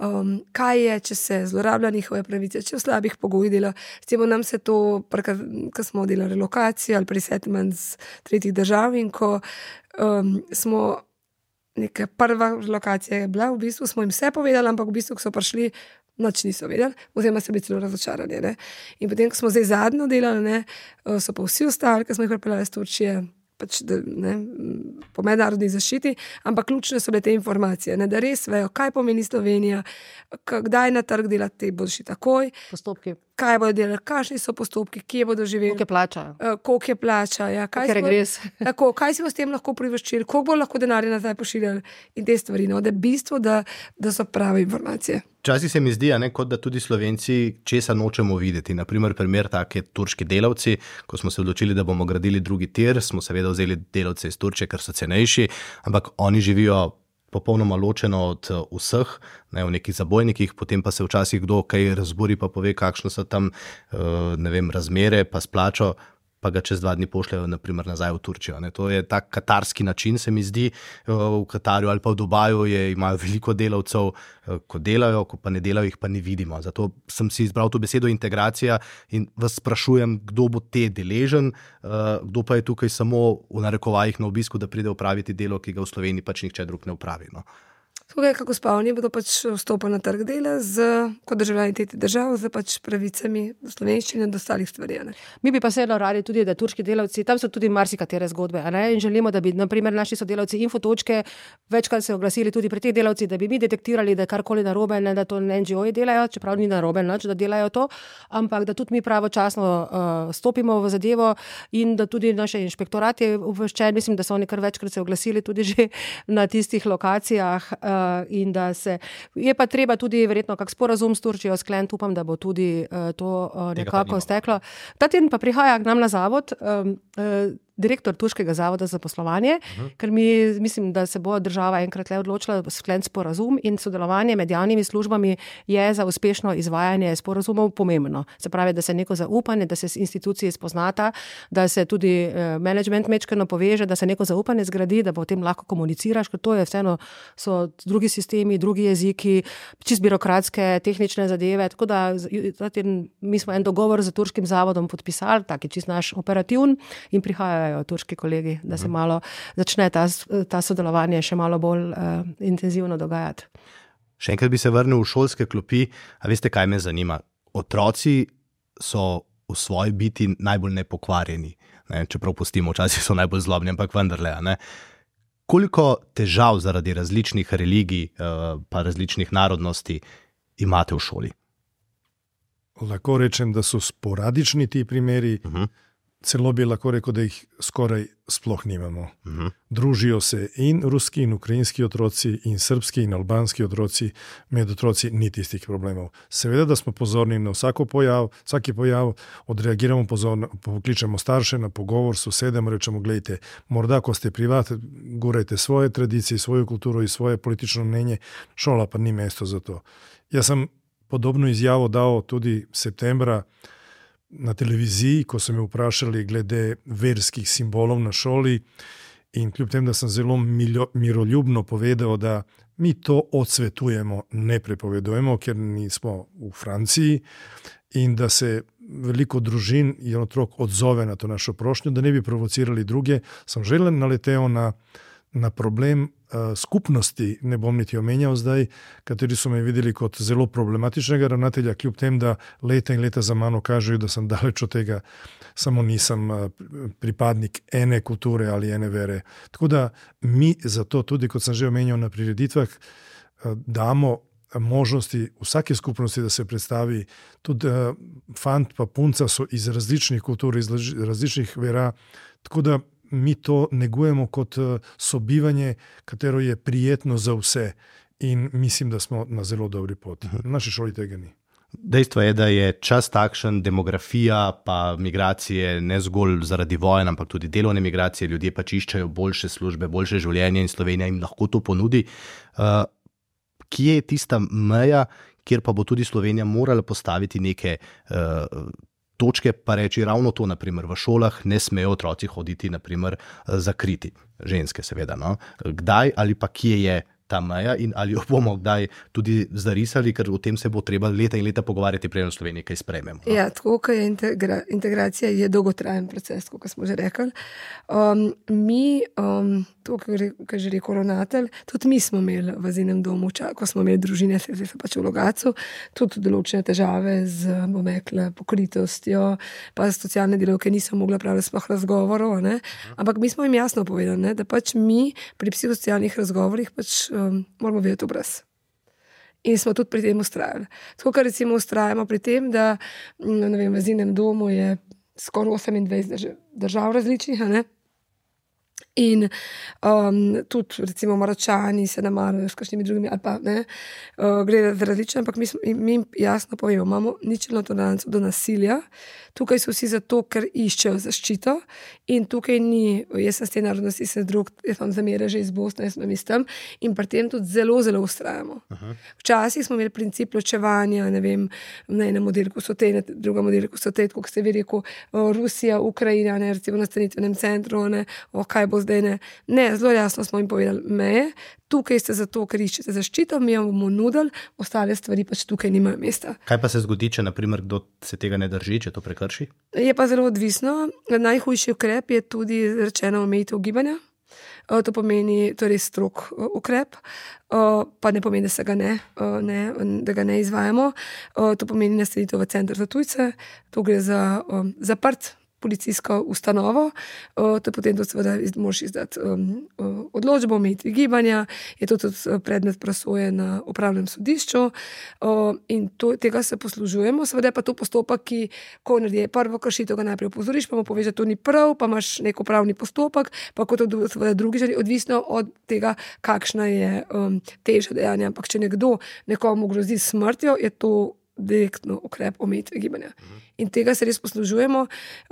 Um, kaj je, če se zlorablja njihove pravice, če v slabih pogojih dela. S tem nam se to, ko smo delali relokacijo ali presettlement z tretjih držav in ko um, smo neka prva lokacija je bila, v bistvu smo jim vse povedali, ampak v bistvu, ko so prišli, nič niso vedeli, oziroma so bili celo razočarani. Ne? In potem, ko smo zdaj zadnjo delali, ne, so pa vsi ostali, ko smo jih pripeljali iz Turčije, pač, da, ne, po mednarodni zaščiti, ampak ključne so bile te informacije, ne, da res vejo, kaj pomeni Slovenija, kdaj na trg delati, bodo šli takoj, postopki, kaj bodo delali, kakšni so postopki, kje bodo živeli, koliko je plača, uh, koliko je plača, ja, kaj, smo, tako, kaj si bo s tem lahko privoščili, koliko bo lahko denarja nazaj pošiljali in te stvari, no, da je bistvo, da, da so prave informacije. Včasih se mi zdi, ne, kot da tudi Slovenci česa nočemo videti. Naprimer, primer take turški delavci, ko smo se odločili, da bomo gradili drugi tir, smo seveda vzeli delavce iz Turčije, ker so cenejši, ampak oni živijo popolnoma ločeno od vseh, ne, v nekih zabojnikih, potem pa se včasih kdo kaj razburi, pa pove, kakšno so tam, ne vem, razmere, pa splačo, pa ga čez dva dni pošljajo naprimer nazaj v Turčijo. Ne. To je tak katarski način, se mi zdi, v Katarju ali pa v Dubaju je, imajo veliko delavcev, ko delajo, ko pa ne delajo, jih pa ne vidimo. Zato sem si izbral to besedo integracija in vas sprašujem, kdo bo te deležen, kdo pa je tukaj samo v narekovajih na obisku, da pride opraviti delo, ki ga v Sloveniji pač nihče drug ne opravi. No. Tukaj, kako spavni, bodo pač vstopili na trg dela z, kot državljani tretjih držav, z pač pravicami do slovenščine in do ostalih stvari. Ne? Mi bi pa se radi tudi, da turški delavci, tam so tudi marsikatere zgodbe, ne? In želimo, da bi naprimer naši sodelavci Infotočke večkrat se oglasili tudi pri teh delavci, da bi mi detektirali, da je karkoli narobe, ne da to en dži oji delajo, čeprav ni narobe nič, da delajo to, ampak da tudi mi pravočasno uh, stopimo v zadevo in da tudi naše inšpektorat je obveščen, mislim, da so oni kar večkrat se oglasili tudi že na tistih lokacijah. Uh, in da se, je pa treba tudi verjetno kak sporazum s Turčijo skleniti, upam, da bo tudi uh, to uh, nekako steklo. Ta teden pa prihaja k nam na zavod um, uh, direktor Turškega zavoda za poslovanje, uh-huh. ker mi mislim, da se bo država enkrat le odločila skleniti sporazum in sodelovanje med javnimi službami je za uspešno izvajanje sporazumov pomembno. Se pravi, da se neko zaupanje, da se institucije spoznata, da se tudi eh, management mečkano poveže, da se neko zaupanje zgradi, da potem lahko komuniciraš, ker to je vseeno, so drugi sistemi, drugi jeziki, čist birokratske, tehnične zadeve, tako da mi smo en dogovor z Turškim zavodom podpisali, tak je čist naš operativn in prihajajo turški kolegi, da se malo začne ta, ta sodelovanje še malo bolj uh, intenzivno dogajati. Še enkrat bi se vrnil v šolske klopi, a veste, kaj me zanima? Otroci so v svoji biti najbolj nepokvarjeni, ne? Čeprav pustimo, včasih so najbolj zlobni, ampak vendarle, ne? Koliko težav zaradi različnih religij, uh, pa različnih narodnosti imate v šoli? Lahko rečem, da so sporadični ti primeri, uh-huh. celo bi lahko rekel, da jih skoraj sploh nimamo. Uh-huh. Družijo se in ruski in ukrajinski otroci in srbski in albanski otroci, med otroci ni tistih problemov. Seveda, da smo pozorni na vsako pojav, vsaki pojav, odreagiramo pozorno, pokličemo starše na pogovor, sosedem, rečemo, gledajte, morda, ko ste privat, gurajte svoje tradicije, svojo kulturo in svoje politično mnenje, šola pa ni mesto za to. Jaz sem podobno izjavo dal tudi septembra na televiziji, ko so me vprašali glede verskih simbolov na šoli in kljub tem, da sem zelo miljo, miroljubno povedal, da mi to odsvetujemo, ne prepovedujemo, ker nismo v Franciji in da se veliko družin in otrok odzove na to našo prošnjo, da ne bi provocirali druge, sem želen naletel na, na problem uh, skupnosti, ne bom niti omenjal zdaj, kateri so me videli kot zelo problematičnega ravnatelja, kljub tem, da leta in leta za mano kažejo, da sem daleč od tega, samo nisem uh, pripadnik ene kulture ali ene vere. Tako da mi zato tudi, kot sem že omenjal na prireditvah, uh, damo možnosti vsake skupnosti, da se predstavi. Tudi uh, fant pa punca so iz različnih kultur, iz različnih vera, tako da mi to negujemo kot sobivanje, katero je prijetno za vse in mislim, da smo na zelo dobri poti. Na naši šoli tega ni. Dejstvo je, da je čas takšen, demografija pa migracije ne zgolj zaradi vojen, ampak tudi delovne migracije, ljudje pač iščejo boljše službe, boljše življenje in Slovenija jim lahko to ponudi. Uh, kje je tista meja, kjer pa bo tudi Slovenija morala postaviti neke uh, točke, pa reči ravno to, naprimer v šolah ne smejo otroci hoditi, naprimer zakriti, ženske seveda, no? Kdaj ali pa kje je ta meja in ali jo bomo kdaj tudi zarisali, ker o tem se bo treba leta in leta pogovarjati, preden v Sloveniji kaj sprejmemo. No? Ja, tako, ker je integra, integracija je dolgotrajen proces, kot smo že rekli. Um, mi, um, to, kar že rekel ravnatelj, tudi mi smo imeli v azilnem domu, ko smo imeli družine, se je pač v Logatcu, tudi določene težave z, bom rekla, pokritostjo, pa socialne delavke niso mogla praviti sploh razgovorov, ne? Ampak mi smo jim jasno povedali, ne? Da pač mi pri psihosocialnih razgovorih pač um, moramo vedeti obraz. In smo tudi pri tem ustrajali. Tako, kar recimo ustrajamo pri tem, da ne vem, v azilnem domu je skoraj osemindvajset držav različnih, a ne? In um, tudi recimo Maročani se namarajo s kakšnimi drugimi ali pa ne, uh, gre za različne, ampak mi, mi jasno povemo, imamo ničelno toleranco do nasilja, tukaj so vsi zato, ker iščejo zaščito in tukaj ni, jaz sem s te narodnosti, sem drug, jaz vam zamere že iz Bosne, jaz sem iz tam in pri tem tudi zelo, zelo ustrajamo. Aha. Včasih smo imeli princip ločevanja, ne vem, na enem oddelku so te, na drugem oddelku so te, kot ste vi rekel, Rusija, Ukrajina, ne, recimo na stanitvenem centru, ne, o kaj bo zdaj, ne. Ne, zelo jasno smo jim povedali meje, tukaj ste zato, ker iščete zaščito, mi jo bomo nudili, ostale stvari pač tukaj nimajo mesta. Kaj pa se zgodi, če naprimer kdo se tega ne drži, če to prekrši? Je pa zelo odvisno. Najhujši ukrep je tudi rečeno omejitev gibanja. To pomeni, to je res strog ukrep, pa ne pomeni, da se ga ne, ne, da ga ne izvajamo. To pomeni nastanitev v center za tujce, to gre za zaprt policijsko ustanovo, to potem to seveda moraš izdati um, odločbo, omejitvi gibanja, je to tudi predmet presoje na upravnem sodišču um, in to, tega se poslužujemo, seveda je pa to postopek, ki, ko naredi prvo kršitev, ga najprej opozoriš, pa mu poveš, da to ni prav, pa imaš nek upravni postopek, pa kot seveda drugi želi, odvisno od tega, kakšna je um, teža dejanja, ampak če nekdo nekomu grozi smrtjo, je to direktno ukrep omejitve gibanja. In tega se res poslužujemo,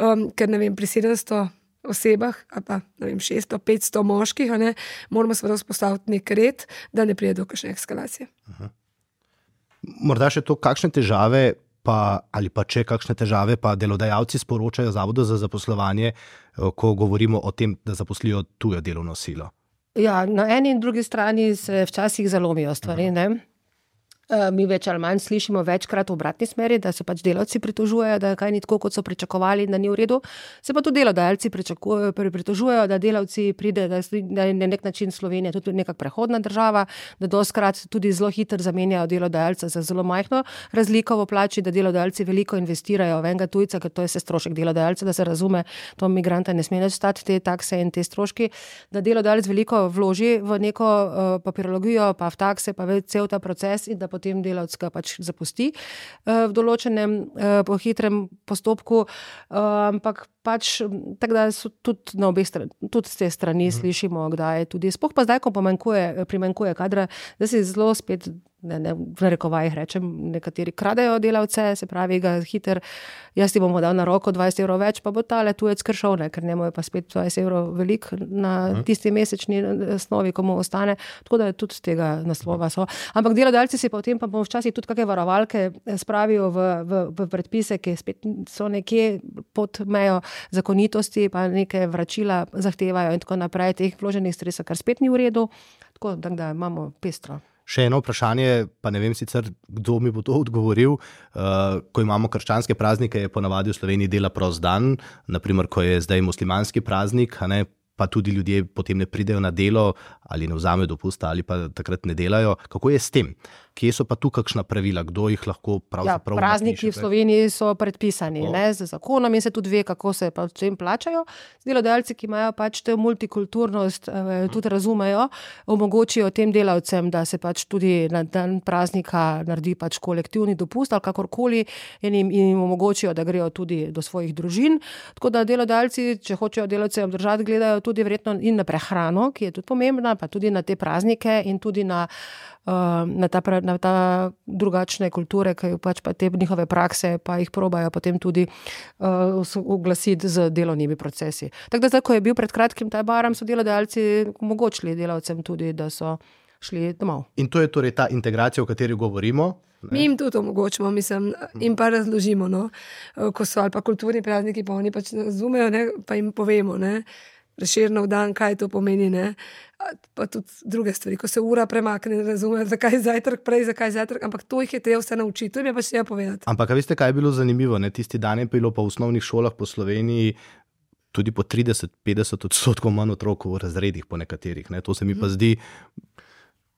um, ker ne vem, pri sedemsto osebah, ali pa ne vem, šeststo, petsto moških, ne, moramo seveda vzpostaviti nek red, da ne pride do kakšne eskalacije. Aha. Morda še to, kakšne težave pa, ali pa če kakšne težave pa delodajalci sporočajo Zavodu za zaposlovanje, ko govorimo o tem, da zaposlijo tujo delovno silo? Ja, na eni in drugi strani se včasih zalomijo stvari, ne? Mi več ali manj slišimo večkrat v obratni smeri, da se pač delavci pritožujejo, da kaj ni tako, kot so pričakovali, da ni v redu. Se pa tudi delodajalci pritožujejo, da delavci pride, da je na nek način Slovenija tudi neka prehodna država, da doskrat tudi zelo hitro zamenjajo delodajalca za zelo majhno razliko v plači, da delodajalci veliko investirajo v enega tujca, ker to je se strošek delodajalca, da se razume, to migranta ne sme več stati te takse in te stroški, da delodajalec veliko vloži v neko uh, papirologijo, pa v takse, pa v cel ta proces in da potem delavec ga pač zapusti v določenem po hitrem postopku, ampak pač tako da so tudi na obeh strani, tudi z te strani slišimo, kdaj tudi, spoh pa zdaj, ko pomanjkuje, primanjkuje kadra, da si zelo spet, ne, ne, v narekovajih rečem, nekateri kradejo delavce, se pravi ga hiter, jaz ti bomo dal na roko dvajset evrov več, pa bo tale tujec kršov, ne, ker njemu je pa spet dvajset evrov velik na tisti mesečni osnovi, ko mu ostane, tako da je tudi z tega naslova so. Ampak delodajalci si potem pa bomo včasih tudi kakšne varovalke spravijo v, v, v predpise, ki spet so nekje pod mejo zakonitosti, pa neke vračila zahtevajo in tako naprej, teh vloženih stresov, kar spet ni v redu, tako da imamo pestro. Še eno vprašanje, pa ne vem sicer, kdo mi bo to odgovoril. Uh, ko imamo krščanske praznike, je ponavadi v Sloveniji dela prost dan, naprimer, ko je zdaj muslimanski praznik, a ne, pa tudi ljudje potem ne pridejo na delo ali ne vzamejo dopusta ali pa takrat ne delajo. Kako je s tem? Kje so pa tu kakšna pravila? Kdo jih lahko pravzaprav ja, prazniki v Sloveniji so predpisani o. ne, z zakonom in se tudi ve, kako se pa tem plačajo. Delodajalci, ki imajo pač te multikulturnost, eh, tudi razumejo, omogočijo tem delavcem, da se pač tudi na dan praznika naredi pač kolektivni dopust ali kakorkoli in jim, in jim omogočijo, da grejo tudi do svojih družin. Tako da delodajalci, če hočejo delavce obdržati, gledajo tudi verjetno in na prehrano, ki je tudi pomembna, pa tudi na te praznike in tudi na Na ta, na ta drugačne kulture, ki pač pa te njihove prakse, pa jih probajo potem tudi uh, oglasiti z delovnimi procesi. Tako da zdaj, ko je bil pred kratkim ta baram, so delodajalci omogočili delavcem tudi, da so šli domov. In to je torej ta integracija, o kateri govorimo? Ne? Mi jim tudi omogočimo, mislim, in pa razložimo, no, ko so ali pa kulturni prazniki, pa oni pač razumejo, ne, pa jim povemo, ne, Prešernov dan, kaj to pomeni, ne, pa tudi druge stvari, ko se ura premakne, razumejo, zakaj zajtrk prej, zakaj zajtrk, ampak to jih je treba vse naučiti, to jim je pač treba povedati. Ampak, a veste, kaj je bilo zanimivo, ne, tisti dan je bilo pa v osnovnih šolah po Sloveniji tudi po trideset do petdeset odstotkov manj otrok v razredih po nekaterih, ne, to se mi pa zdi.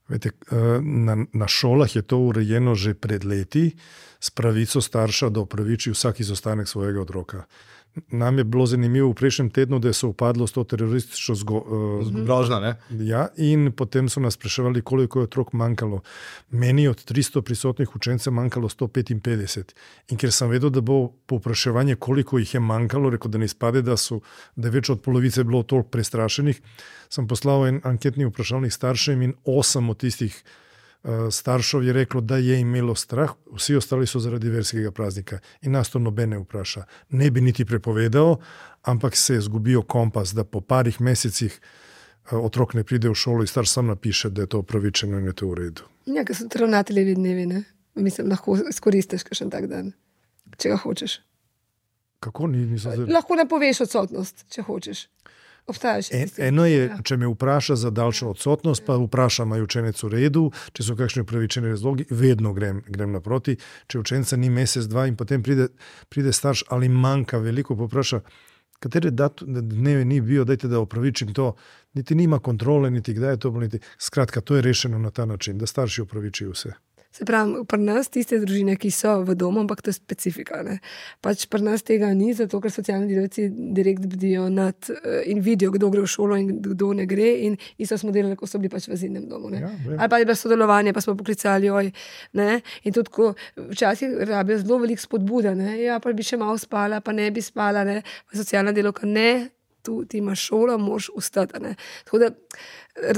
Vete, na, na šolah je to urejeno že pred leti s pravico starša, da opraviči vsak izostanek svojega otroka. Nam je bilo zanimivo v prejšnjem tednu, da je se upadlo s to teroristično zgrožno, ne? Ja, in potem so nas spraševali, koliko je otrok manjkalo. Meni od tristo prisotnih učencev manjkalo sto petinpetdeset. In ker sem vedel, da bo povpraševanje, koliko jih je manjkalo, rekel, da ne izpade, da, so, da je več od polovice bilo toliko prestrašenih, sem poslal en anketni vprašalnik staršem in osem od tistih staršev je reklo, da je imelo strah, vsi ostali so zaradi verskega praznika in nas to nobene vpraša. Ne bi niti prepovedal, ampak se je zgubil kompas, da po parih mesecih otrok ne pride v šolo in starš sam napiše, da je to upravičeno in je to v redu. Ja, ker so ravnateljevi dnevi, ne? Mislim, lahko izkoristiš kakšen tak dan, če ga hočeš. Kako ni? Zelo... Lahko ne poveš odsotnost, če hočeš. En, eno je, če me vpraša za daljšo odsotnost, pa vprašam, je učenec v redu, če so kakšni upravičeni razlogi, vedno grem, grem naproti. Če učenca ni mesec, dva in potem pride, pride starš ali manjka veliko, popraša, katere dneve ni bil, dajte da upravičim to, niti nima kontrole, niti kdaj je to, niti... Skratka, to je rešeno na ta način, da starši upravičijo vse. Se pravi, pri nas tiste družine, ki so v domu, ampak to je specifika. Ne? Pač pri nas tega ni, zato ker socialni delavci direkt bdijo nad in vidijo, kdo gre v šolo in kdo ne gre. In isto smo delali, ko so bili pač v azilnem domu. Ja, ali pa je bilo sodelovanje, pa smo poklicali, oj. Ne? In tudi, ko včasih rabijo zelo veliko spodbuda, ne? Ja, pa bi še malo spala, pa ne bi spala, ne? Pa socialna delavka ne. Tu ti imaš šolo, moš ustati. Tako da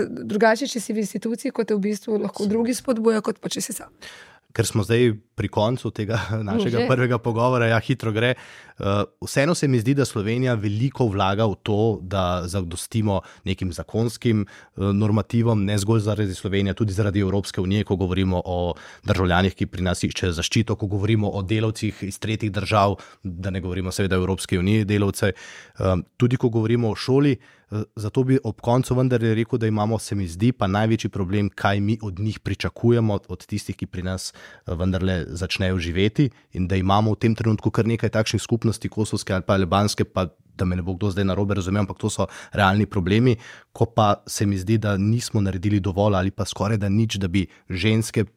drugače, če si v instituciji, kot je v bistvu lahko drugi spodbuja, kot pa če si sam. Ker smo zdaj pri koncu tega našega Že. prvega pogovora, ja, hitro gre. Uh, vseeno se mi zdi, da Slovenija veliko vlaga v to, da zadostimo nekim zakonskim uh, normativom, ne zgolj zaradi Slovenije, tudi zaradi Evropske unije, ko govorimo o državljanih, ki pri nas iščejo zaščito, ko govorimo o delavcih iz tretjih držav, da ne govorimo seveda o Evropske unije delavce, uh, tudi ko govorimo o šoli. Zato bi ob koncu vendar rekel, da imamo, se mi zdi, pa največji problem, kaj mi od njih pričakujemo, od tistih, ki pri nas vendarle začnejo živeti, in da imamo v tem trenutku kar nekaj takšnih skupnosti, kosovske ali pa albanske, pa da me ne bo kdo zdaj narobe razumel, ampak to so realni problemi, ko pa se mi zdi, da nismo naredili dovolj ali pa skoraj da nič, da bi ženske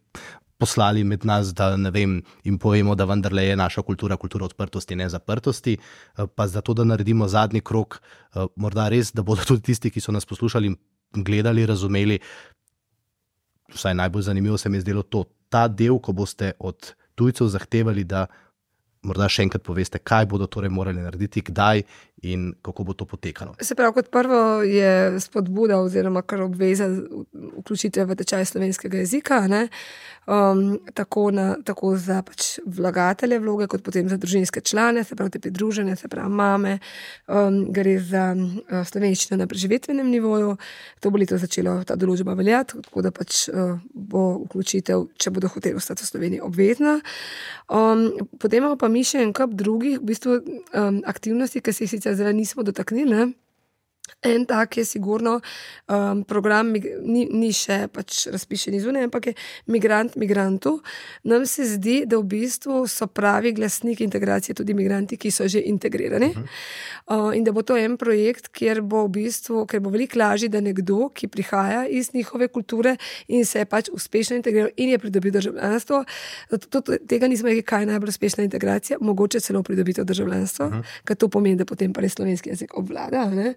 poslali med nas, da ne vem, jim povemo, da vendarle je naša kultura kultura odprtosti, ne zaprtosti, pa zato, da naredimo zadnji krok, morda res, da bodo tudi tisti, ki so nas poslušali in gledali, razumeli, vsaj najbolj zanimivo se mi je zdelo to, ta del, ko boste od tujcev zahtevali, da morda še enkrat poveste, kaj bodo torej morali narediti, kdaj in kako bo to potekalo. Se pravi, kot prvo je spodbuda oziroma kar obveza vključitve v tečaj slovenskega jezika, ne? Um, tako, na, tako za pač vlagatelje vloge, kot potem za družinske člane, se pravi te pridružene, se pravi mame, um, gre za uh, slovenščino na preživetvenem nivoju, to bo leto začelo ta določba veljati, tako da pač uh, bo vključitev, če bodo hoteli ostati v Sloveniji, obvezna. Um, potem imamo pa mi še en kup drugih v bistvu um, aktivnosti, ki se jih sicer zdaj nismo dotaknili, ne? En tak je sigurno um, program, ni, ni še pač razpišen izvune, ampak je migrant migrantu. Nam se zdi, da v bistvu so pravi glasniki integracije tudi migranti, ki so že integrirani. Uh, in da bo to en projekt, kjer bo v bistvu, ker bo veliko lažje, da nekdo, ki prihaja iz njihove kulture in se je pač uspešno integriral in je pridobil državljanstvo, to, tega nismo rekli, kaj je najbolj uspešna integracija, mogoče celo pridobitev državljanstva, uh-huh. ker to pomeni, da potem pa res slovenski jezik obvlada, ne?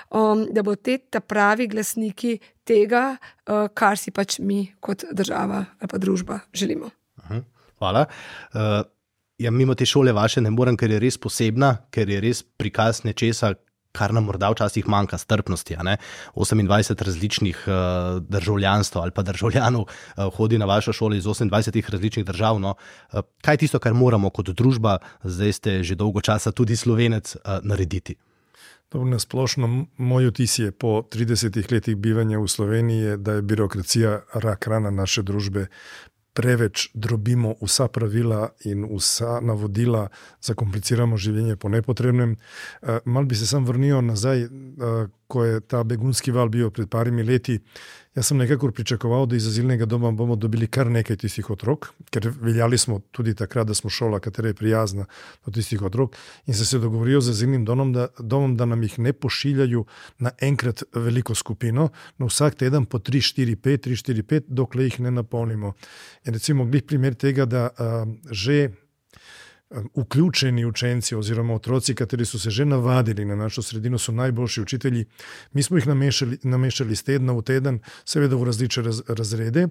Um, da bo te ta pravi glasniki tega, uh, kar si pač mi kot država ali pa družba želimo. Aha, hvala. Uh, ja, mimo te šole vaše ne morem, ker je res posebna, ker je res prikaz nečesa, kar nam morda včasih manjka, strpnosti. A ne? osemindvajset različnih uh, državljanstv ali pa državljanov uh, hodi na vašo šolo iz osemindvajsetih različnih držav. No? Uh, kaj je tisto, kar moramo kot družba, zdaj ste že dolgo časa tudi Slovenec, uh, narediti? Na splošno, moj vtis je po tridesetih letih bivanja v Sloveniji, da je birokracija rak rana naše družbe. Preveč drobimo vsa pravila in vsa navodila, zakompliciramo življenje po nepotrebnem. Mal bi se sam vrnil nazaj, ko je ta begunski val bil pred parimi leti. Jaz sem nekako pričakoval, da iz azilnega doma bomo dobili kar nekaj tistih otrok, ker veljali smo tudi takrat, da smo šola, katera je prijazna do tistih otrok, in sem se dogovoril z azilnim domom, da, domom, da nam jih ne pošiljajo na enkrat veliko skupino, na vsak teden po tri, štiri, pet, tri, štiri, pet, dokler jih ne napolnimo. In recimo glih primer tega, da uh, že vključeni učenci oziroma otroci, kateri so se že navadili na našo sredino, so najboljši učitelji. Mi smo jih namešali, namešali z tedna v teden, seveda v različne raz, razrede.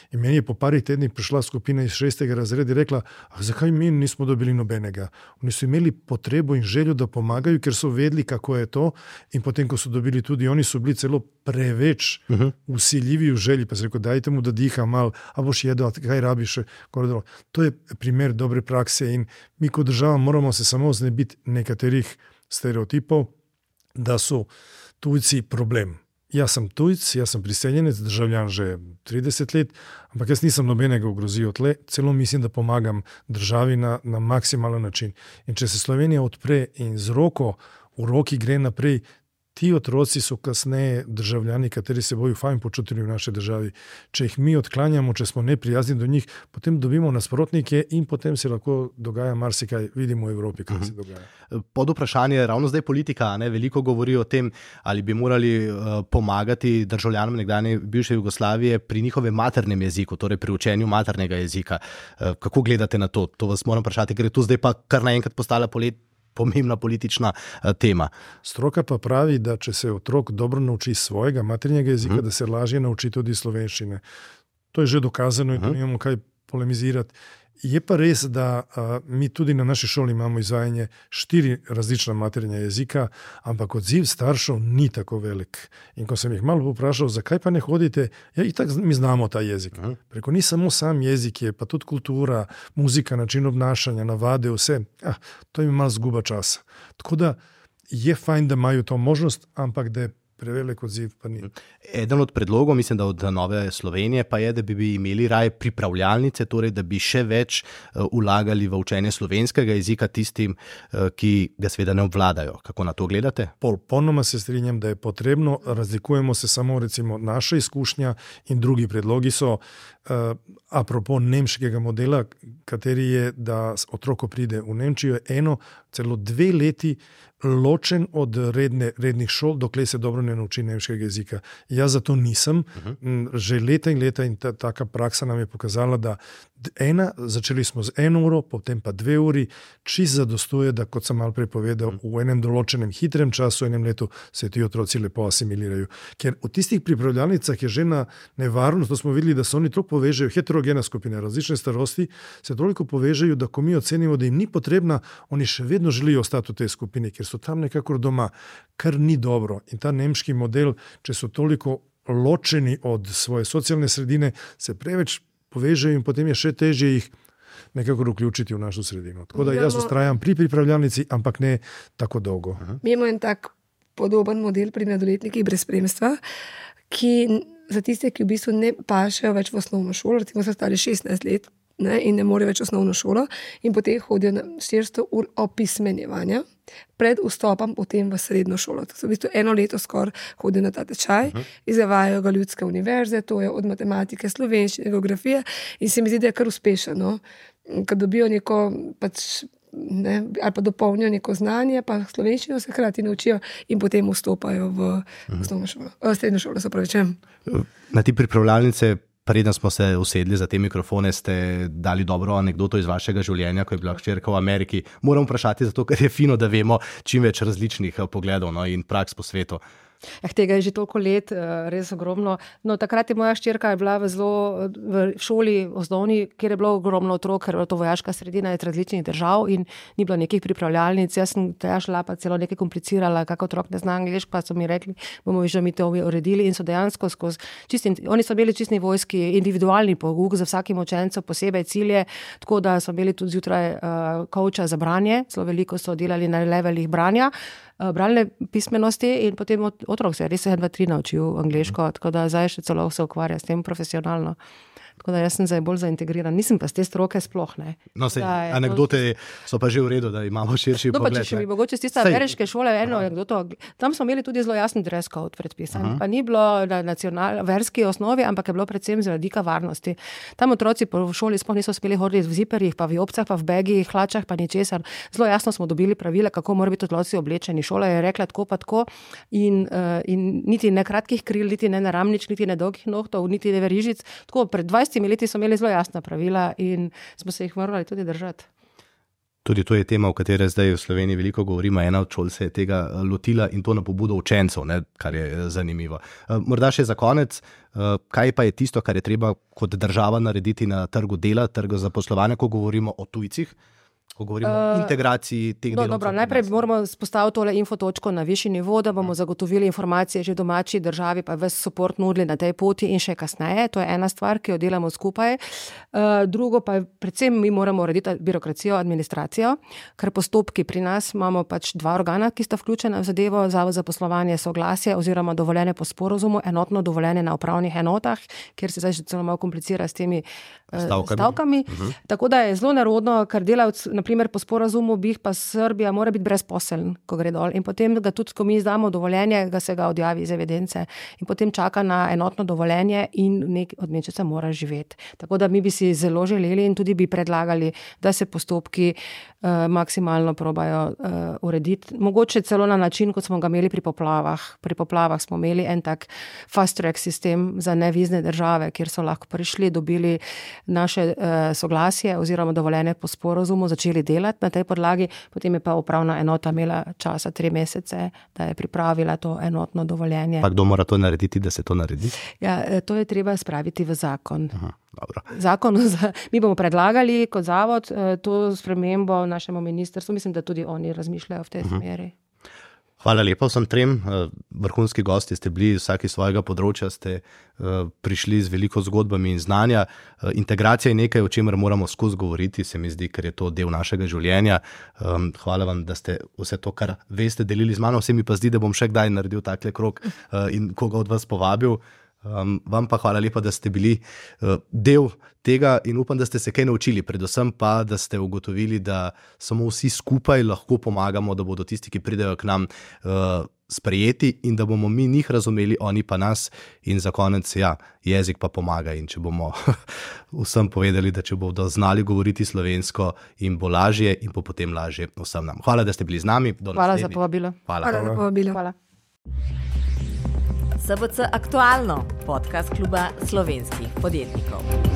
In meni je po parih tednih prišla skupina iz šestega razreda in rekla, a zakaj mi nismo dobili nobenega? Oni so imeli potrebo in željo, da pomagajo, ker so vedeli, kako je to. In potem, ko so dobili tudi, oni so bili celo preveč uh-huh. vsiljivi v želji, pa se rekel, dajte mu, da diha mal, a boš jedel, kaj rabiš. To je primer dobre prakse in mi kot država moramo se samo znebiti nekaterih stereotipov, da so tujci problem. Jaz sem tujc, jaz sem priseljenec, državljan že trideset let, ampak jaz nisem nobenega ogrozil tle, celo mislim, da pomagam državi na, na maksimalen način. In če se Slovenija odpre in z roko v roki gre naprej, ti otroci so kasneje državljani, kateri se bojo fajn počutili v naši državi. Če jih mi odklanjamo, če smo neprijazni do njih, potem dobimo nasprotnike in potem se lahko dogaja marsikaj, vidimo v Evropi, kaj se dogaja. Pod vprašanje ravno zdaj politika, ne, veliko govori o tem, ali bi morali uh, pomagati državljanom nekdanje bivše Jugoslavije pri njihovem maternem jeziku, torej pri učenju maternega jezika. Uh, kako gledate na to? To vas moram vprašati, ker je tu zdaj pa kar naenkrat postala polet pomembna politična uh, tema. Stroka pa pravi, da če se otrok dobro nauči svojega maternjega jezika, uh-huh. da se lažje nauči tudi slovenščine. To je že dokazano in to nimamo kaj polemizirati. Je pa res, da a, mi tudi na naši šoli imamo izvajanje štiri različna materinja jezika, ampak odziv staršev ni tako velik. In ko sem jih malo poprašal, zakaj pa ne hodite, ja, itak mi znamo ta jezik. Aha. Preko ni samo sam jezik, je pa tudi kultura, muzika, način obnašanja, navade, vse. Ah, to je malo zguba časa. Tako da je fajn, da imajo to možnost, ampak da je prevelik odziv pa ni. Eden od predlogov, mislim, da od Nove Slovenije, pa je, da bi imeli raje pripravljalnice, torej da bi še več uh, vlagali v učenje slovenskega jezika tistim, uh, ki ga seveda ne obvladajo. Kako na to gledate? Popolnoma se strinjam, da je potrebno, razlikujemo se samo recimo naša izkušnja in drugi predlogi so uh, apropo nemškega modela, kateri je, da otroko pride v Nemčijo, eno, celo dve leti ločen od redne, rednih šol, dokler se dobro ne nauči nemškega jezika. Jaz zato nisem. Uh-huh. Že leta in leta in ta, taka praksa nam je pokazala, da ena, začeli smo z eno uro, potem pa dve uri, čist zadostuje, da kot sem malo prej povedal, uh-huh. v enem določenem hitrem času, v enem letu se ti otroci lepo asimilirajo. Ker v tistih pripravljalnicah je že na nevarnost, to smo videli, da se oni toliko povežejo, heterogena skupina, različne starosti, se toliko povežejo, da ko mi ocenimo, da jim ni potrebna, oni še vedno želijo ostati v tej skupini, ker so tam nekako doma, kar ni dobro. In ta nemški model, če so toliko ločeni od svoje socialne sredine, se preveč povežejo in potem je še težje jih nekako vključiti v našo sredino. Tako da jaz ustrajam pri pripravljalnici, ampak ne tako dolgo. Aha. Mi imamo en tak podoben model pri mladoletnikih brez spremstva, ki za tiste, ki v bistvu ne pašejo več v osnovno šolo, recimo so stari šestnajst let, ne, in ne morejo več osnovno šolo in potem hodijo na štiristo ur opismenjevanja pred vstopom potem v srednjo šolo. To so v bistvu eno leto skoraj hodijo na ta tečaj, uh-huh. izvajajo ga ljudske univerze, to je od matematike, slovenščine, geografije in se mi zdi, da je kar uspešno, no? Ko dobijo neko pač ne, ali pa dopolnijo neko znanje, pa slovenščino se hkrati naučijo in potem vstopajo v osnovno šolo, v srednjo šolo, se pravi, čem. Na ti pripravljalnice, preden smo se usedli za te mikrofone, ste dali dobro anekdoto iz vašega življenja, ko je bila hčerka v Ameriki. Moram vprašati, zato ker je fino, da vemo čim več različnih pogledov, no, in praks po svetu. Eh, tega je že toliko let, res ogromno. No, takrat je moja hčerka bila v, zelo, v šoli osnovni, kjer je bilo ogromno otrok, ker je to vojaška sredina iz različnih držav in ni bilo nekih pripravljalnic. Jaz sem tega šla pa celo nekaj komplicirala, kako otrok ne zna angleško, pa so mi rekli, bomo že mi to uredili in so dejansko skozi čistim, oni so imeli čistni vojski, individualni pouk za vsakim učencem, posebej cilje, tako da so imeli tudi zjutraj uh, kouča za branje, zelo veliko so delali na levelih branja, bralne pismenosti in potem otrok se je res en, dva, tri naučil angleško, tako da zdaj še celo se ukvarja s tem profesionalno. Tako da jaz sem zdaj bolj zaintegriran. Nisem pa z te stroke sploh, ne. No, sej, anekdote so pa že v redu, da imamo širši no, pogled. No, pa če še mi mogoče z tiste ameriške šole eno anekdoto, tam smo imeli tudi zelo jasen dress code predpisan. Aha. Pa ni bilo na nacional, verski osnovi, ampak je bilo predvsem z radika varnosti. Tam otroci po šoli sploh niso speli hoditi v ziperjih, pa v jopcah, pa v begih, hlačah, pa ničesar. Zelo jasno smo dobili pravila, kako morajo biti otroci oblečeni. Šola je rekla tako pa tako in, uh, in niti ne kratkih kril, niti ne naramnič, niti ne dolgih nohtov, niti ne verižic. Tako pred dvajsetimi leti so imeli zelo jasna pravila in smo se jih morali tudi držati. Tudi to je tema, o kateri zdaj v Sloveniji veliko govorimo. Ena od šol se je tega lotila in to na pobudo učencev, ne, kar je zanimivo. Morda še za konec, kaj pa je tisto, kar je treba kot država narediti na trgu dela, trgu zaposlovanja, ko govorimo o tujcih? Ko govorimo uh, o integraciji teh no, delavcev. Dobro, najprej moramo spostaviti tole infotočko na višji nivo, da bomo zagotovili informacije že domači državi, pa ves support nudili na tej poti in še kasneje. To je ena stvar, ki jo delamo skupaj. Uh, drugo pa je, predvsem mi moramo urediti birokracijo, administracijo, ker postopki pri nas imamo pač dva organa, ki sta vključena v zadevo, Zavod za poslovanje, soglasje oziroma dovoljenje po sporozumu, enotno dovoljenje na upravnih enotah, kjer se zdaj že celo malo komplicira s temi uh, stavkami. stavkami. Uh-huh. Tako da je zelo nerodno, ker delavc naprimer po sporazumu bi pa Srbija mora biti brezposeln, ko gre dol. In potem ga tudi, ko mi izdamo dovoljenje, ga se ga odjavi iz evidence. In potem čaka na enotno dovoljenje in nek, od nečesa mora živeti. Tako da mi bi si zelo želeli in tudi bi predlagali, da se postopki uh, maksimalno probajo uh, urediti. Mogoče celo na način, kot smo ga imeli pri poplavah. Pri poplavah smo imeli en tak fast track sistem za nevizne države, kjer so lahko prišli, dobili naše uh, soglasje oziroma dovoljenje po sporazumu, začeli začeli delati na tej podlagi, potem je pa upravna enota imela časa tri mesece, da je pripravila to enotno dovoljenje. Pa kdo mora to narediti, da se to naredi? Ja, to je treba spraviti v zakon. Aha, dobro. Zakon, mi bomo predlagali kot zavod to spremembo našemu ministrstvu, mislim, da tudi oni razmišljajo v tej uh-huh. smeri. Hvala lepa vsem trem. Vrhunski gosti ste bili, vsaki svojega področja ste prišli z veliko zgodbami in znanja. Integracija je nekaj, o čemer moramo skozi govoriti, se mi zdi, ker je to del našega življenja. Hvala vam, da ste vse to, kar veste, delili z mano. Vse mi pa zdi, da bom še kdaj naredil takle krog in koga od vas povabil. Um, vam pa hvala lepa, da ste bili uh, del tega in upam, da ste se kaj naučili, predvsem pa, da ste ugotovili, da samo vsi skupaj lahko pomagamo, da bodo tisti, ki pridejo k nam, uh, sprejeti in da bomo mi njih razumeli, oni pa nas in za konec, ja, jezik pa pomaga in če bomo vsem povedali, da če bodo znali govoriti slovensko in bo lažje in bo potem lažje vsem nam. Hvala, da ste bili z nami. Do hvala za povabilo. Hvala. Hvala za povabilo. Hvala. S B C Aktualno, podcast kluba slovenskih podjetnikov.